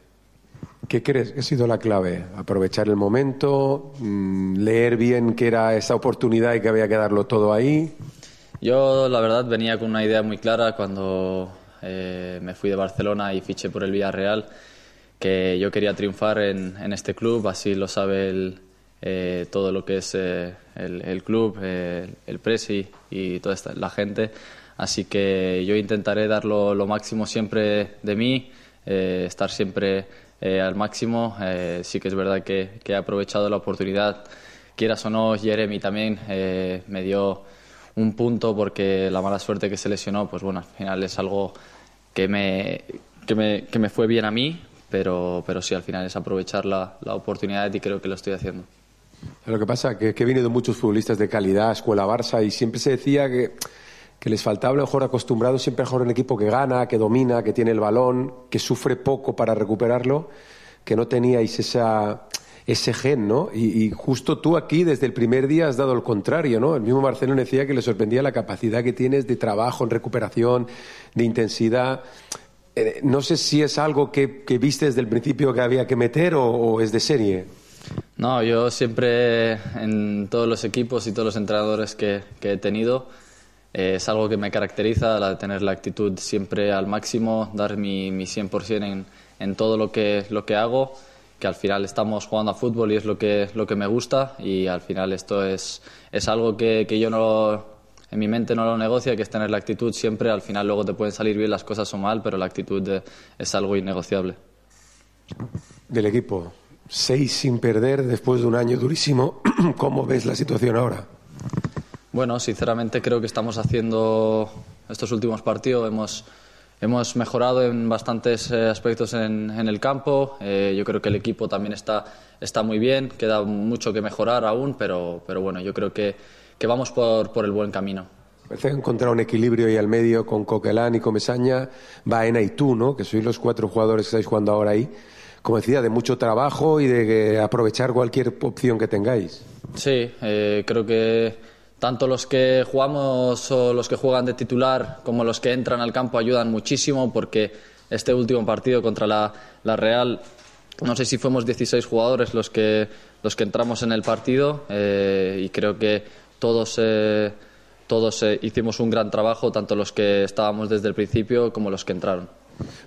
¿Qué crees que ha sido la clave? ¿Aprovechar el momento? ¿Leer bien que era esa oportunidad y que había que darlo todo ahí? Yo, la verdad, venía con una idea muy clara cuando eh, me fui de Barcelona y fiché por el Villarreal, que yo quería triunfar en, en este club, así lo sabe el, eh, todo lo que es eh, el, el club, eh, el presi y toda esta, la gente. Así que yo intentaré dar lo, lo máximo siempre de mí, eh, estar siempre eh, al máximo. Eh, sí que es verdad que, que he aprovechado la oportunidad, quieras o no, Jeremy también eh, me dio un punto porque la mala suerte que se lesionó, pues bueno, al final es algo que me, que me, que me fue bien a mí, pero, pero sí, al final es aprovechar la, la oportunidad y creo que lo estoy haciendo. Lo que pasa es que, que he venido muchos futbolistas de calidad, escuela Barça, y siempre se decía que... que les faltaba a lo mejor acostumbrado siempre a jugar un equipo que gana, que domina, que tiene el balón, que sufre poco para recuperarlo, que no teníais esa, ese gen, ¿no? Y, y justo tú aquí desde el primer día has dado el contrario, ¿no? El mismo Marcelo decía que le sorprendía la capacidad que tienes de trabajo en recuperación, de intensidad. Eh, no sé si es algo que, que viste desde el principio que había que meter o, o es de serie. No, yo siempre en todos los equipos y todos los entrenadores que, que he tenido, Eh, es algo que me caracteriza, la de tener la actitud siempre al máximo, dar mi, mi cien por ciento en, en todo lo que, lo que hago, que al final estamos jugando a fútbol y es lo que, lo que me gusta, y al final esto es, es algo que, que yo no, en mi mente no lo negocia, que es tener la actitud siempre. Al final luego te pueden salir bien las cosas o mal, pero la actitud de, es algo innegociable. Del equipo, seis sin perder después de un año durísimo, ¿cómo ves la situación ahora? Bueno, sinceramente creo que estamos haciendo estos últimos partidos, hemos, hemos mejorado en bastantes eh, aspectos en, en el campo. Eh, yo creo que el equipo también está, está muy bien, queda mucho que mejorar aún, pero, pero bueno, yo creo que, que vamos por, por el buen camino. Parece que encontrar un equilibrio ahí al medio con Coquelin y Comesaña, Baena y tú, ¿no? Que sois los cuatro jugadores que estáis jugando ahora ahí. Como decía, de mucho trabajo y de aprovechar cualquier opción que tengáis. Sí, eh, creo que tanto los que jugamos o los que juegan de titular como los que entran al campo ayudan muchísimo, porque este último partido contra la, la Real, no sé si fuimos dieciséis jugadores los que, los que entramos en el partido, eh, y creo que todos... Eh, Todos eh, hicimos un gran trabajo, tanto los que estábamos desde el principio como los que entraron.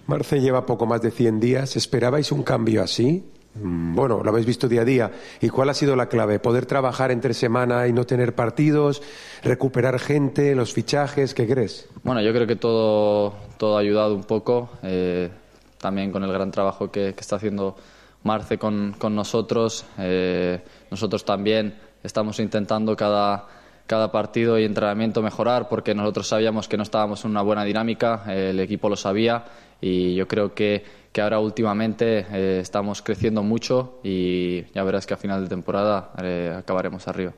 Marce lleva poco más de cien días. ¿Esperabais un cambio así? Bueno, lo habéis visto día a día. ¿Y cuál ha sido la clave? ¿Poder trabajar entre semana y no tener partidos? ¿Recuperar gente? ¿Los fichajes? ¿Qué crees? Bueno, yo creo que todo, todo ha ayudado un poco. Eh, también con el gran trabajo que, que está haciendo Marce con, con nosotros. Eh, nosotros también estamos intentando cada... cada partido y entrenamiento mejorar, porque nosotros sabíamos que no estábamos en una buena dinámica, eh, el equipo lo sabía, y yo creo que, que ahora últimamente eh, estamos creciendo mucho y ya verás que a final de temporada eh, acabaremos arriba.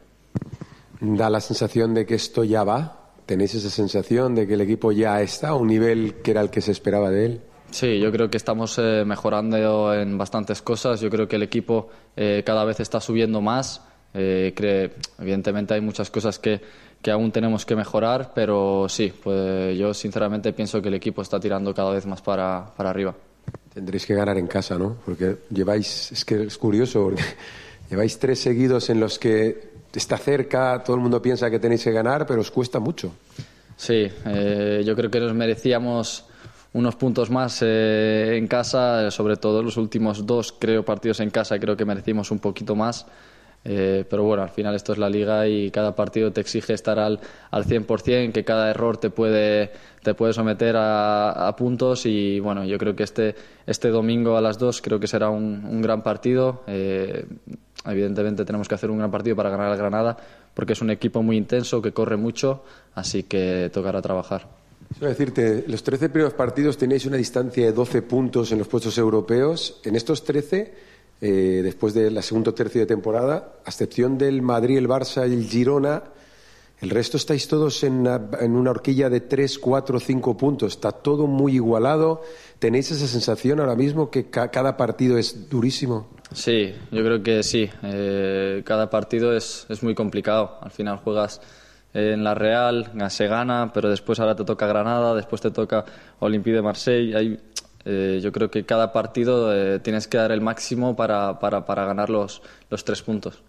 ¿Da la sensación de que esto ya va? ¿Tenéis esa sensación de que el equipo ya está a un nivel que era el que se esperaba de él? Sí, yo creo que estamos eh, mejorando en bastantes cosas. Yo creo que el equipo eh, cada vez está subiendo más. Eh, cree, evidentemente hay muchas cosas que, que aún tenemos que mejorar, pero sí, pues yo sinceramente pienso que el equipo está tirando cada vez más para, para arriba. Tendréis que ganar en casa, ¿no? Porque lleváis, es que es curioso, porque lleváis tres seguidos en los que está cerca, todo el mundo piensa que tenéis que ganar, pero os cuesta mucho. Sí, eh, yo creo que nos merecíamos unos puntos más eh, en casa, sobre todo los últimos dos, creo, partidos en casa, creo que merecimos un poquito más. Eh, pero bueno, al final esto es la Liga y cada partido te exige estar al, al cien por cien, que cada error te puede, te puede someter a, a puntos, y bueno, yo creo que este, este domingo a las dos creo que será un, un gran partido. Eh, evidentemente tenemos que hacer un gran partido para ganar al Granada, porque es un equipo muy intenso, que corre mucho, así que tocará trabajar. Quiero decirte, los trece primeros partidos tenéis una distancia de doce puntos en los puestos europeos. En estos trece... Eh, después de la segunda tercio de temporada, a excepción del Madrid, el Barça y el Girona, el resto estáis todos en una, en una horquilla de tres, cuatro, cinco puntos. Está todo muy igualado. ¿Tenéis esa sensación ahora mismo que ca cada partido es durísimo? Sí, yo creo que sí. Eh, cada partido es, es muy complicado. Al final juegas en la Real, se gana, pero después ahora te toca Granada, después te toca Olympique de Marseille. Hay Eh, yo creo que cada partido eh, tienes que dar el máximo para, para, para ganar los, los tres puntos.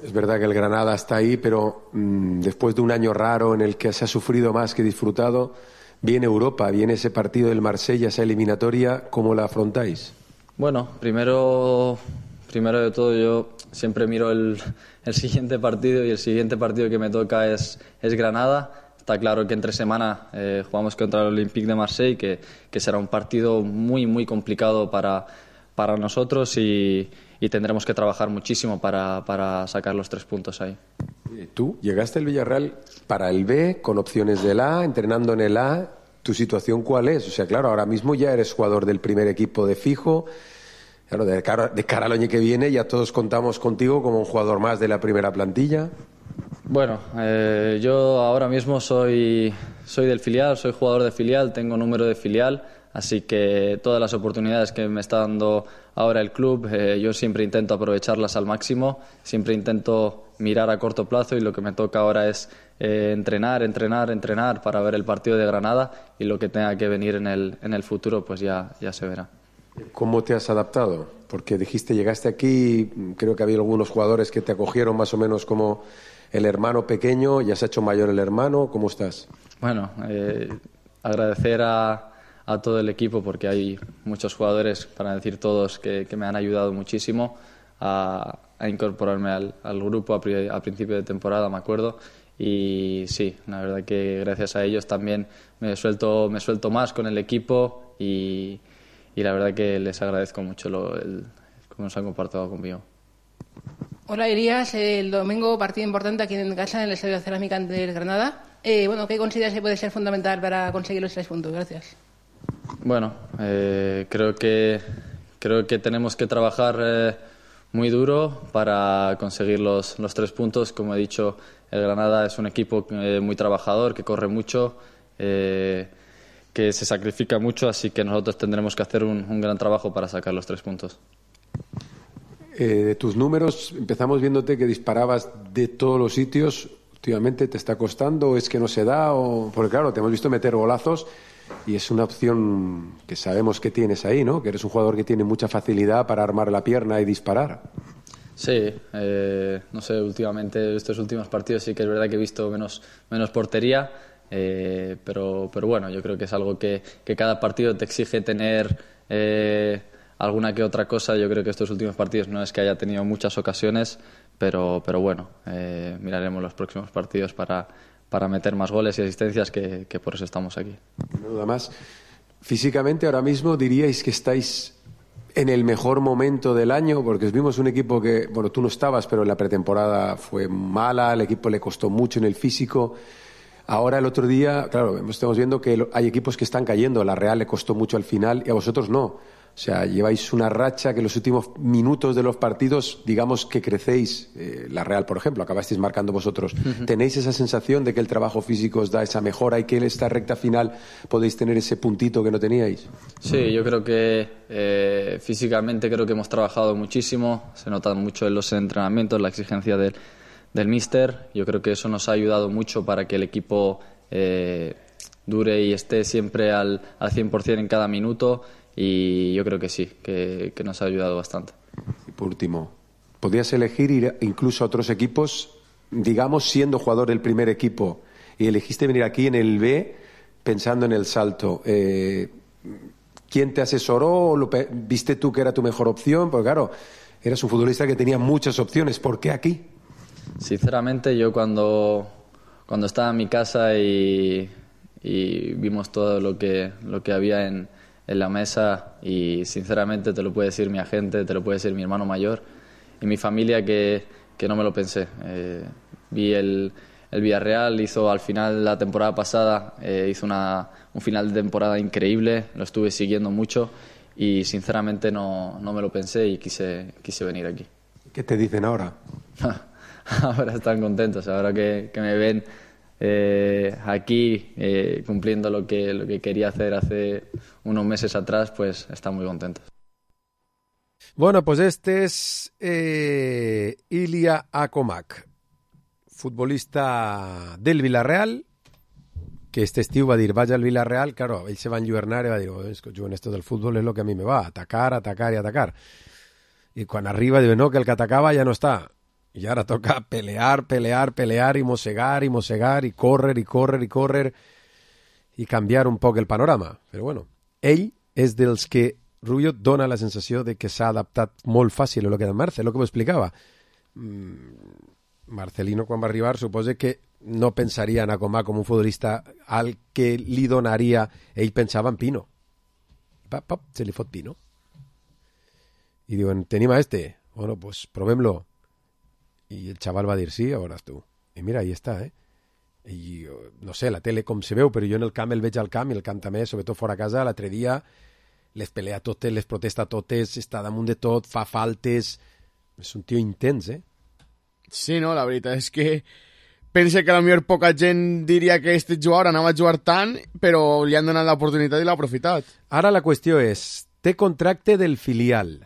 Es verdad que el Granada está ahí, pero mmm, después de un año raro en el que se ha sufrido más que disfrutado, viene Europa, viene ese partido del Marsella, esa eliminatoria. ¿Cómo la afrontáis? Bueno, primero, primero de todo yo siempre miro el, el siguiente partido, y el siguiente partido que me toca es, es Granada. Está claro que entre semana eh, jugamos contra el Olympique de Marseille, que, que será un partido muy, muy complicado para, para nosotros, y, y tendremos que trabajar muchísimo para, para sacar los tres puntos ahí. Tú llegaste al Villarreal para el B, con opciones del A, entrenando en el A. ¿Tu situación cuál es? O sea, claro, ahora mismo ya eres jugador del primer equipo de fijo. Claro, de cara, de cara al año que viene ya todos contamos contigo como un jugador más de la primera plantilla. Bueno, eh, yo ahora mismo soy, soy del filial, soy jugador de filial, tengo número de filial, así que todas las oportunidades que me está dando ahora el club, eh, yo siempre intento aprovecharlas al máximo, siempre intento mirar a corto plazo, y lo que me toca ahora es eh, entrenar, entrenar, entrenar para ver el partido de Granada, y lo que tenga que venir en el, en el futuro pues ya, ya se verá. ¿Cómo te has adaptado? Porque dijiste, llegaste aquí, creo que había algunos jugadores que te acogieron más o menos como el hermano pequeño, ya se ha hecho mayor el hermano. ¿Cómo estás? Bueno, eh, agradecer a, a todo el equipo, porque hay muchos jugadores, para decir todos, que, que me han ayudado muchísimo a, a incorporarme al, al grupo a, pri, a principio de temporada, me acuerdo. Y sí, la verdad que gracias a ellos también me suelto, me suelto más con el equipo, y, y la verdad que les agradezco mucho lo, el, cómo se han comportado conmigo. Hola, Elías. El domingo partido importante aquí en casa, en el Estadio Cerámica ante el Granada. Eh, bueno, ¿qué consideras que puede ser fundamental para conseguir los tres puntos? Gracias. Bueno, eh, creo que creo que tenemos que trabajar eh, muy duro para conseguir los, los tres puntos. Como he dicho, el Granada es un equipo eh, muy trabajador, que corre mucho, eh, que se sacrifica mucho, así que nosotros tendremos que hacer un, un gran trabajo para sacar los tres puntos. Eh, de tus números, empezamos viéndote que disparabas de todos los sitios. ¿Últimamente te está costando o es que no se da? O... Porque claro, te hemos visto meter golazos y es una opción que sabemos que tienes ahí, ¿no? Que eres un jugador que tiene mucha facilidad para armar la pierna y disparar. Sí, eh, no sé, últimamente, estos últimos partidos sí que es verdad que he visto menos, menos portería, eh, pero, pero bueno, yo creo que es algo que, que cada partido te exige tener eh, alguna que otra cosa. Yo creo que estos últimos partidos no es que haya tenido muchas ocasiones, pero, pero bueno, eh, miraremos los próximos partidos para, para meter más goles y asistencias, que, que por eso estamos aquí. Nada más, físicamente ahora mismo diríais que estáis en el mejor momento del año, porque os vimos un equipo que, bueno, tú no estabas, pero la pretemporada fue mala, al equipo le costó mucho en el físico. Ahora el otro día, claro, estamos viendo que hay equipos que están cayendo, la Real le costó mucho al final y a vosotros no. O sea, lleváis una racha que en los últimos minutos de los partidos, digamos que crecéis. Eh, la Real, por ejemplo, acabasteis marcando vosotros. Uh-huh. ¿Tenéis esa sensación de que el trabajo físico os da esa mejora y que en esta recta final podéis tener ese puntito que no teníais? Sí, yo creo que eh, físicamente creo que hemos trabajado muchísimo. Se nota mucho en los entrenamientos, la exigencia del, del míster. Yo creo que eso nos ha ayudado mucho para que el equipo eh, dure y esté siempre al, al cien por ciento en cada minuto. Y yo creo que sí, que, que nos ha ayudado bastante. Y por último, ¿podrías elegir ir incluso a otros equipos, digamos, siendo jugador del primer equipo, y elegiste venir aquí en el B pensando en el salto? Eh, ¿Quién te asesoró? ¿Lo ¿Viste tú que era tu mejor opción? Porque claro, eras un futbolista que tenía muchas opciones. ¿Por qué aquí? Sinceramente, yo cuando, cuando estaba en mi casa y, y vimos todo lo que, lo que había en... en la mesa, y sinceramente te lo puede decir mi agente, te lo puede decir mi hermano mayor y mi familia, que, que no me lo pensé. Eh, vi el, el Villarreal, hizo al final la temporada pasada, eh, hizo una, un final de temporada increíble, lo estuve siguiendo mucho y sinceramente no, no me lo pensé y quise, quise venir aquí. ¿Qué te dicen ahora? Ahora están contentos, ahora que, que me ven Eh, aquí eh, cumpliendo lo que, lo que quería hacer hace unos meses atrás, pues están muy contentos. Bueno, pues este es eh, Ilya Akomak, futbolista del Villarreal, que este estiu va dir, vaig al Villarreal. Claro, ell se va enlluernar i va dir, oh, és que jo en esto del fútbol és lo que a mi me va, atacar, atacar i atacar. I quan arriba diu, no, que el que atacava ja no està. Y ahora toca pelear, pelear, pelear y mosegar y mosegar y córrer y córrer y córrer y canviar un poc el panorama. Però bueno, ell és dels que Rubio dona la sensació de que s'ha adaptat molt fàcil a lo que era Marcel, lo que m'ho explicava. Mm, Marcelino, quan va arribar, suposa que no pensaria en Akomak com un futbolista al que li donaria, ell pensava en Pino. Pap, pap, se li fot Pino. I diuen, tenim a este. Bueno, pues provem-lo. I el xaval va dir, sí, a veuràs tu. I mira, ahí està, eh? I no sé, la tele com se veu, però jo en el camp el veig al camp, i el camp també, sobretot fora a casa, l'altre dia les pelea totes, les protesta totes, està damunt de tot, fa faltes... És un tio intens, eh? Sí, no, la veritat és que pense que a la millor poca gent diria que este jugador anava a jugar tant, però li han donat l'oportunitat i l'ha aprofitat. Ara la qüestió és, té contracte del filial.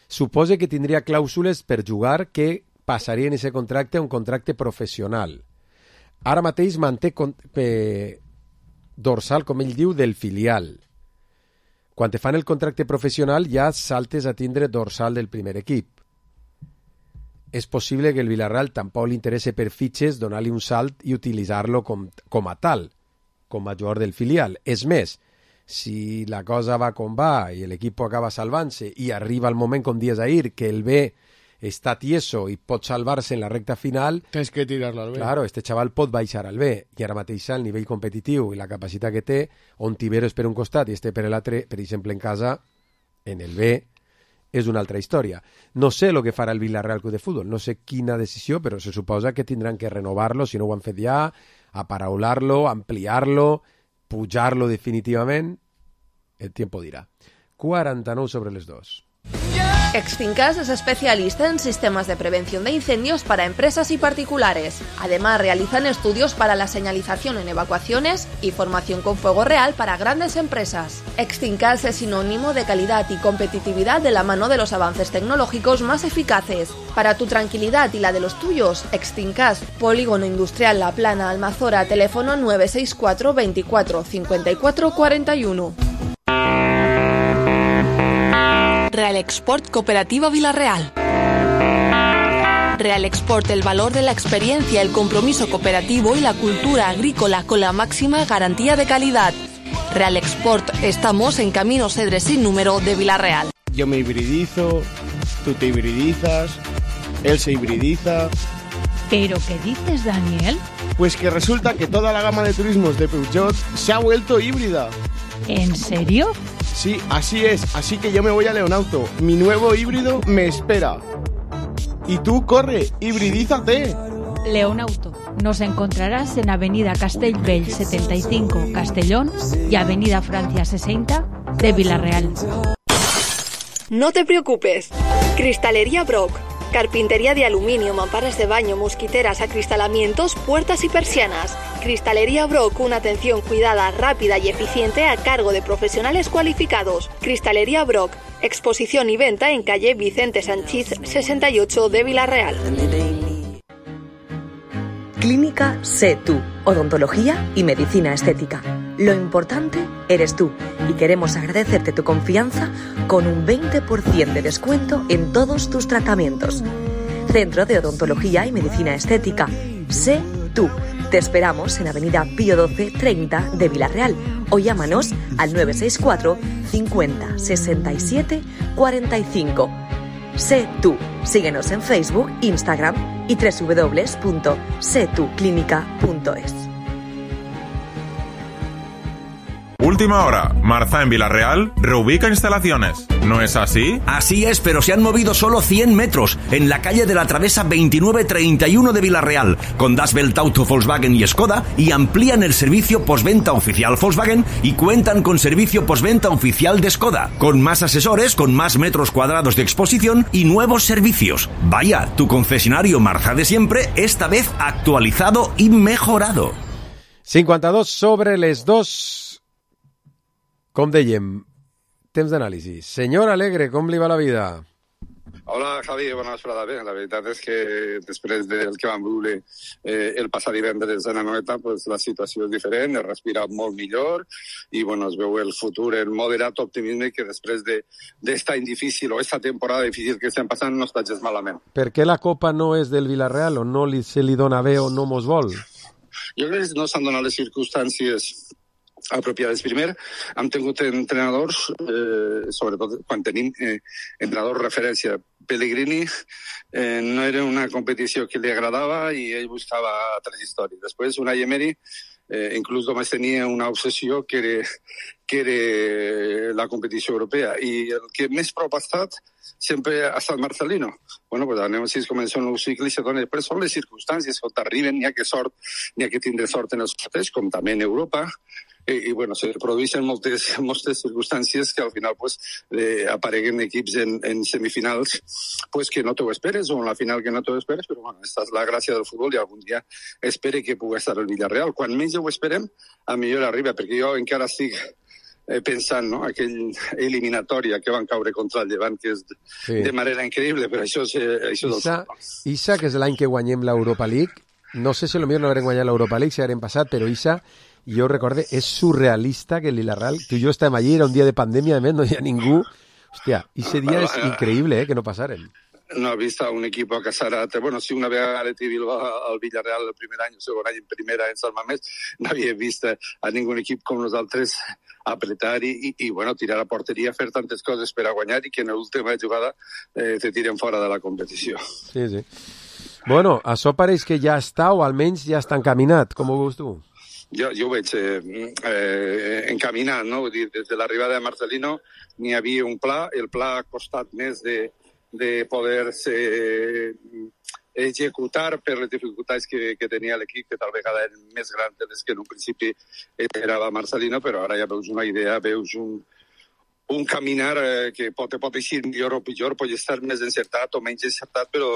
Suposa que tindria clàusules per jugar que passaria en aquest contracte a un contracte professional. Ara mateix manté eh, dorsal, com ell diu, del filial. Quan te fan el contracte professional ja saltes a tindre dorsal del primer equip. És possible que el Villarreal tampoc li interesse per fitxes donar-li un salt i utilitzar-lo com, com a tal, com a jugador del filial. És més, si la cosa va com va i l'equip acaba salvant-se i arriba el moment, com dies ahir, que el B està tieso i pot salvar-se en la recta final, tens que tirar-lo al B. Claro, este xaval pot baixar al B, i ara mateix el nivell competitiu i la capacitat que té, on Tibero és per un costat i este per l'altre, per exemple en casa, en el B, és una altra història. No sé el que farà el Villarreal Club de Futbol, no sé quina decisió, però se suposa que tindran que renovar-lo, si no ho han fet ja, aparaular-lo, ampliar-lo, pujar-lo definitivament. El tiempo dirà. quaranta-nou sobre les dos. Extincas es especialista en sistemas de prevención de incendios para empresas y particulares. Además, realizan estudios para la señalización en evacuaciones y formación con fuego real para grandes empresas. Extincas es sinónimo de calidad y competitividad de la mano de los avances tecnológicos más eficaces. Para tu tranquilidad y la de los tuyos, Extincas, Polígono Industrial La Plana, Almazora, teléfono nueve seis cuatro veinticuatro cincuenta y cuatro cuarenta y uno. Real Export Cooperativa Vilarreal. Real Export, el valor de la experiencia, el compromiso cooperativo y la cultura agrícola con la máxima garantía de calidad. Real Export, estamos en Camino Cedres sin número de Vilarreal. Yo me hibridizo, tú te hibridizas, él se hibridiza. ¿Pero qué dices, Daniel? Pues que resulta que toda la gama de turismos de Peugeot se ha vuelto híbrida. ¿En serio? Sí, así es, así que yo me voy a Leonauto. Mi nuevo híbrido me espera. Y tú, corre, hibridízate. Leonauto. Nos encontrarás en Avenida Castellbell setenta y cinco, Castellón, y Avenida Francia sesenta de Vilarreal. No te preocupes. Cristalería Brock. Carpintería de aluminio, mamparas de baño, mosquiteras, acristalamientos, puertas y persianas. Cristalería Brock, una atención cuidada, rápida y eficiente a cargo de profesionales cualificados. Cristalería Brock, exposición y venta en calle Vicente Sanchís sesenta y ocho de Vilarreal. Clínica Sé Tú, odontología y medicina estética. Lo importante eres tú y queremos agradecerte tu confianza con un veinte por ciento de descuento en todos tus tratamientos. Centro de Odontología y Medicina Estética. Sé Tú. Te esperamos en Avenida Pío doce treinta de Vilarreal o llámanos al nueve seis cuatro cincuenta sesenta y siete cuarenta y cinco. Sé Tú. Síguenos en Facebook, Instagram y doble u doble u doble u punto sé tú clínica punto es. Última hora. Marza en Vilarreal reubica instalaciones. ¿No es así? Así es, pero se han movido solo cien metros en la calle de la Travesa veintinueve treinta y uno de Vilarreal, con Das Welt Auto, Volkswagen y Skoda, y amplían el servicio postventa oficial Volkswagen y cuentan con servicio postventa oficial de Skoda, con más asesores, con más metros cuadrados de exposición y nuevos servicios. Vaya, tu concesionario Marza de siempre, esta vez actualizado y mejorado. cinquanta-dos sobre les dos. Com dèiem, temps d'anàlisi. Senyor Alegre, com li va la vida? Hola, Javi, bona vesprada. Bé, la veritat és que després del que vam viure eh, el passat divendres en Anoeta, pues, la situació és diferent, es respira molt millor i bueno, es veu el futur en moderat optimisme que després d'esta de, difícil o esta temporada difícil que estem passant no està gens malament. Per què la Copa no és del Vilarreal o no li, se li dona bé o no mos vol? Jo crec que no s'han donat les circumstàncies apropiades. Primer, hem tingut entrenadors, eh, sobretot quan tenim eh, entrenadors referència. Pellegrini eh, no era una competició que li agradava i ell buscava altres històries. Després, Unai Emery, eh, inclús només tenia una obsessió que era, que era la competició europea. I el que més prop ha estat sempre ha estat Marcelino. Bueno, pues anem si es comença un nou cicle i se dona. Després són les circumstàncies que t'arriben, n'hi ha que sort, n'hi ha que tindre sort en els sorteig, com també en Europa. I, i bueno, se produeixen moltes, moltes circumstàncies que al final pues, eh, apareguen equips en, en semifinals pues, que no t'ho esperes o en la final que no t'ho esperes, però bueno, aquesta és la gràcia del futbol i algun dia espere que pugui estar el Villarreal. Quan menys ho esperem, a millor arriba, perquè jo encara estic eh, pensant, no?, aquell eliminatòria que van caure contra el Llevant, que és sí. de manera increïble, però això és, això és Issa, Issa, que és l'any que guanyem l'Europa League, no sé si potser no haurem guanyat l'Europa League, si haurem passat, però Issa, jo recorde, és surrealista que el Vilarreal, tu i jo estem allí, era un dia de pandèmia, a més, no hi ha ningú. Hòstia, ese dia és increïble, eh, que no passaren. No he vist a un equip a Casarat. Bueno, sí, una vegada Atleti Bilbao al Villarreal el primer any, el segon any en primera en Sant Mamés, no havia vist a ningú equip com nosaltres apretar i, i, i bueno, tirar a porteria, fer tantes coses per a guanyar i que en l'última jugada eh, te tiren fora de la competició. Sí, sí. Bueno, això pareix que ja està, o almenys ja està encaminat. Com ho veus tu? Jo, jo ho veig eh, eh, encaminat, no? Vull dir, des de l'arribada de Marcelino n'hi havia un pla, el pla ha costat més de, de poder-se executar per les dificultats que, que tenia l'equip, que tal vegada eren més grans de les que en un principi era Marcelino, però ara ja veus una idea, veus un, un caminar eh, que pot, pot eixir millor o pitjor, pot estar més encertat o menys encertat, però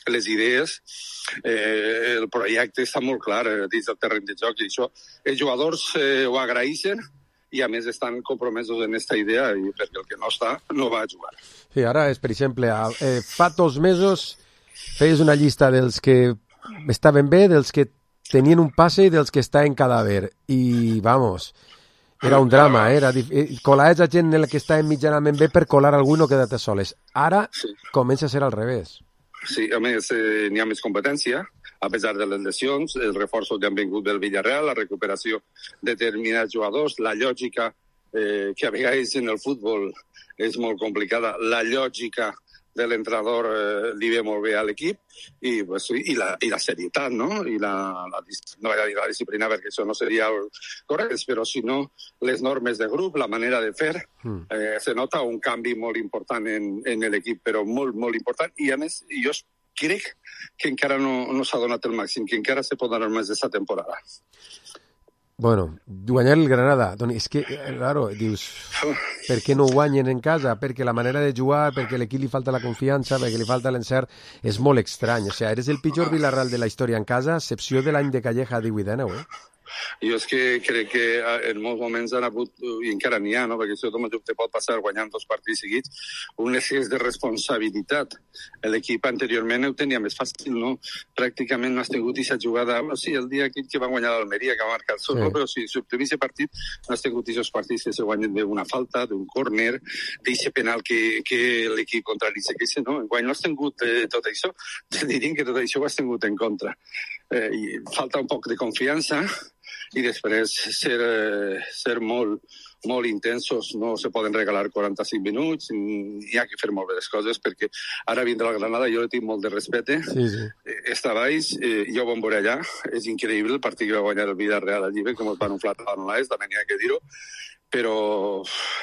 les idees, eh, el projecte està molt clar eh, dins del terreny de joc, i això els jugadors eh, ho agraeixen, i a més estan compromesos en aquesta idea, i perquè el que no està no va a jugar. Sí, ara és, per exemple, eh, fa dos mesos feies una llista dels que estaven bé, dels que tenien un passe i dels que estaven cadàver, i vamos, era un drama, eh? Era dif... colar a gent en la que estaven mitjanament bé per colar algú i no quedar-te soles. Ara sí. Comença a ser al revés. Sí, a més, eh, n'hi ha més competència, a pesar de les lesions, els reforços que han vingut del Villarreal, la recuperació de determinats jugadors, la lògica eh, que a vegades en el futbol és molt complicada, la lògica de l'entrenador eh, li ve molt bé a l'equip, i, pues, i, la, i la serietat, no? I la, la, no era la disciplina, perquè això no seria correcte, però si no, les normes de grup, la manera de fer, mm. eh, se nota un canvi molt important en, en l'equip, però molt, molt important, i a més, jo crec que encara no, no s'ha donat el màxim, que encara se pot donar més d'esta temporada. Bueno, guanyar el Granada, Toni, és que, claro, dius, per què no guanyen en casa? Perquè la manera de jugar, perquè a l'equip li falta la confiança, perquè li falta l'encert, és molt estrany. O sigui, eres el pitjor Villarreal de la història en casa, a excepció de l'any de Calleja divuit dinou, eh? Jo és que crec que en molts moments han hagut, i encara n'hi ha, no? Perquè això te pot passar guanyant dos partits seguits, un excés de responsabilitat. L'equip anteriorment ho tenia més fàcil, no? Pràcticament no has tingut aquesta jugada, no, sí, el dia aquell que va guanyar l'Almeria, que va marcar el sol, sí. Però si s'obté aquest partit, no has tingut aquests partits que se guanyen d'una falta, d'un córner, d'aquest penal que, que l'equip contrari se queixa, no? Enguany no has tingut eh, tot això, te dirien que tot això ho has tingut en contra. Eh, i falta un poc de confiança, i després ser, eh, ser molt, molt intensos, no se poden regalar quaranta-cinc minuts, hi ha que fer molt bé les coses, perquè ara vindrà la Granada, jo le tinc molt de respecte, sí, sí. Està baix, eh, jo ho vam veure allà, és increïble el partit que va guanyar el Villarreal al Llibre, que ens van unflar a l'Anlaes, també n'hi ha que dir-ho, però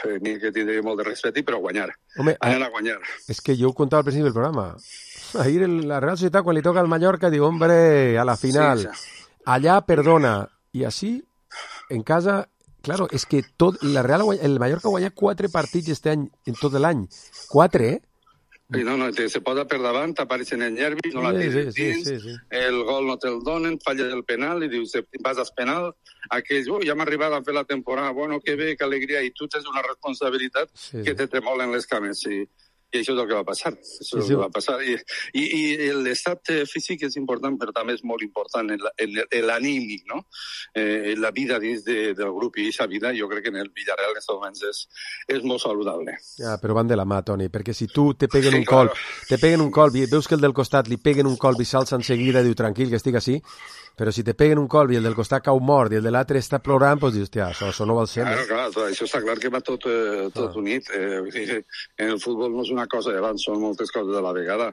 eh, n'hi ha que tindre molt de respecte, però guanyar, Home, anar a guanyar. És que jo ho contava al principi del programa, ahir la Real Societat, quan li toca al Mallorca, diu, hombre, a la final, sí, sí. Allà perdona. Y así, en casa, claro, es que tot, la Real, el Mallorca guanya quatre partits este any, en tot l'any. Quatre, eh? Sí, no, no, te, se posa per davant, t'apareixen els nervis, no la tires sí, dins, sí, sí, sí. El gol no te'l donen, falla el penal, i dius, vas al penal, aquells, oh, ja m'ha arribat a fer la temporada, bueno, que bé, que alegria, i tu tens una responsabilitat sí, que te tremolen les cames, sí. I això és el que va passar. Això sí, sí. És el que va passar. I, i, i l'estat físic és important, però també és molt important l'anímic, no? Eh, la vida dins de, del grup i aquesta vida, jo crec que en el Villarreal en aquests moments és, és molt saludable. Ja, però van de la mà, Toni, perquè si tu te peguen sí, un claro. colp, te peguen un colp i veus que el del costat li peguen un colp i s'alça en seguida i diu, tranquil, que estic així, però si te peguen un colp i el del costat cau mort i el de l'altre està plorant, doncs dius, hòstia, això, això no val ser. Claro, clar, clar, això està clar que va tot, eh, tot ah. unit. Eh, en el futbol no és una cosa d'abans, són moltes coses de la vegada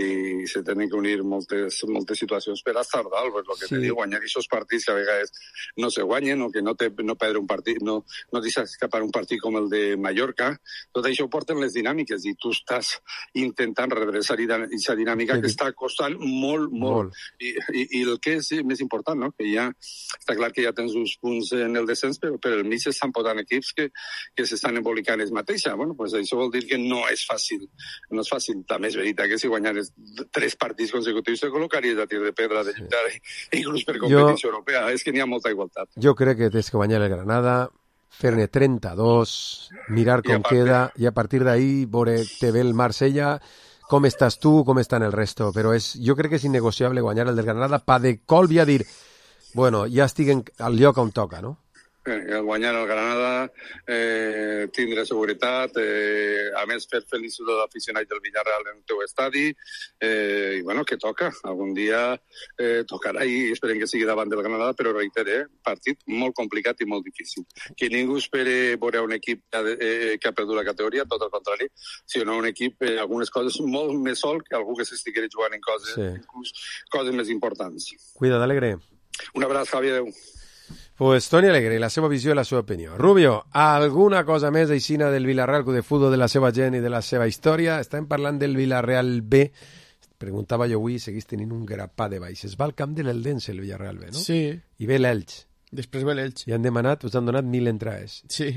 i se tenen que unir moltes, moltes situacions per estar dalt, per lo que sí. te diu, guanyar aquests partits que a vegades no se guanyen o que no, te, no perdre un partit, no, no deixes escapar un partit com el de Mallorca, tot això ho porten les dinàmiques i tu estàs intentant redreçar aquesta dinàmica sí. que està costant molt, molt. molt. I, i, I el que és més important, no? Que ja està clar que ja tens uns punts en el descens, però per el mig estan posant equips que, que s'estan embolicant ells mateixa. Bueno, pues això vol dir que no és fàcil. No és fàcil. També és veritat que si guanyares tres partits consecutius te col·locaries a tir de pedra de lluitar, inclús per competició jo, europea. És que n'hi ha molta igualtat. Jo crec que tens que guanyar el Granada, fer-ne trenta-dos, mirar com queda, i a partir d'ahí veure te ve el Marsella, com estàs tu, com estan el resto, però és, jo crec que és innegociable guanyar el del Granada pa de colp i a dir, bueno, ja estic en, al lloc on toca, no? Eh, guanyar el Granada, eh, tindre seguretat, eh, a més fer feliços dels aficionats del Villarreal en el teu estadi, eh, i bueno, que toca, algun dia eh, tocarà i esperem que sigui davant del Granada, però reitere, partit molt complicat i molt difícil. Que ningú espere veure un equip que, eh, que ha perdut la categoria, tot el contrari, sinó un equip, eh, algunes coses molt més sol que algú que s'estigués jugant en coses, sí. inclús coses més importants. Cuida, d'Alegre. Un abraç, Javi, adeu. Pues Toni Alegre, la seva visió i la seva opinió. Rubio, alguna cosa més aixina del Villarreal, de futbol, de la seva gent i de la seva història? Estem parlant del Villarreal B. Preguntava jo avui, seguís tenint un grapà de baix. Es va al camp de l'Eldense, el Villarreal B, no? Sí. I ve l'Elx. Després ve l'Elx. I han demanat, us han donat mil entrades. Sí.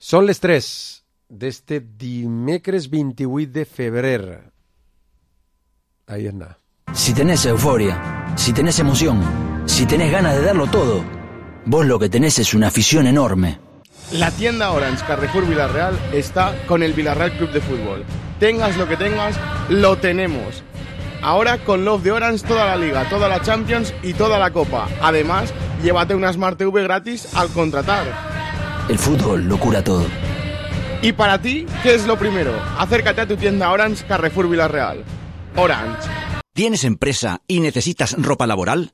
Són les tres d'este dimecres vint-i-vuit de febrer. Ahí está. Si tenés euforia, si tenés emoción, si tenés ganas de darlo todo, vos lo que tenés es una afición enorme. La tienda Orange Carrefour Villarreal está con el Villarreal Club de Fútbol. Tengas lo que tengas, lo tenemos. Ahora con Love de Orange toda la Liga, toda la Champions y toda la Copa. Además, llévate una Smart T V gratis al contratar. El fútbol lo cura todo. Y para ti, ¿qué es lo primero? Acércate a tu tienda Orange Carrefour Villarreal. Orange. ¿Tienes empresa y necesitas ropa laboral?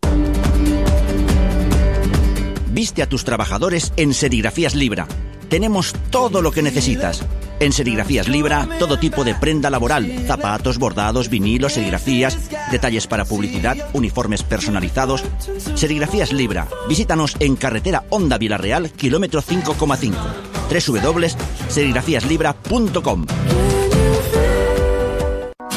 Viste a tus trabajadores en Serigrafías Libra. Tenemos todo lo que necesitas. En Serigrafías Libra, todo tipo de prenda laboral, zapatos, bordados, vinilos, serigrafías, detalles para publicidad, uniformes personalizados. Serigrafías Libra. Visítanos en carretera Honda Villarreal, kilómetro cinco coma cinco. doble u doble u doble u punto serigrafías libra punto com.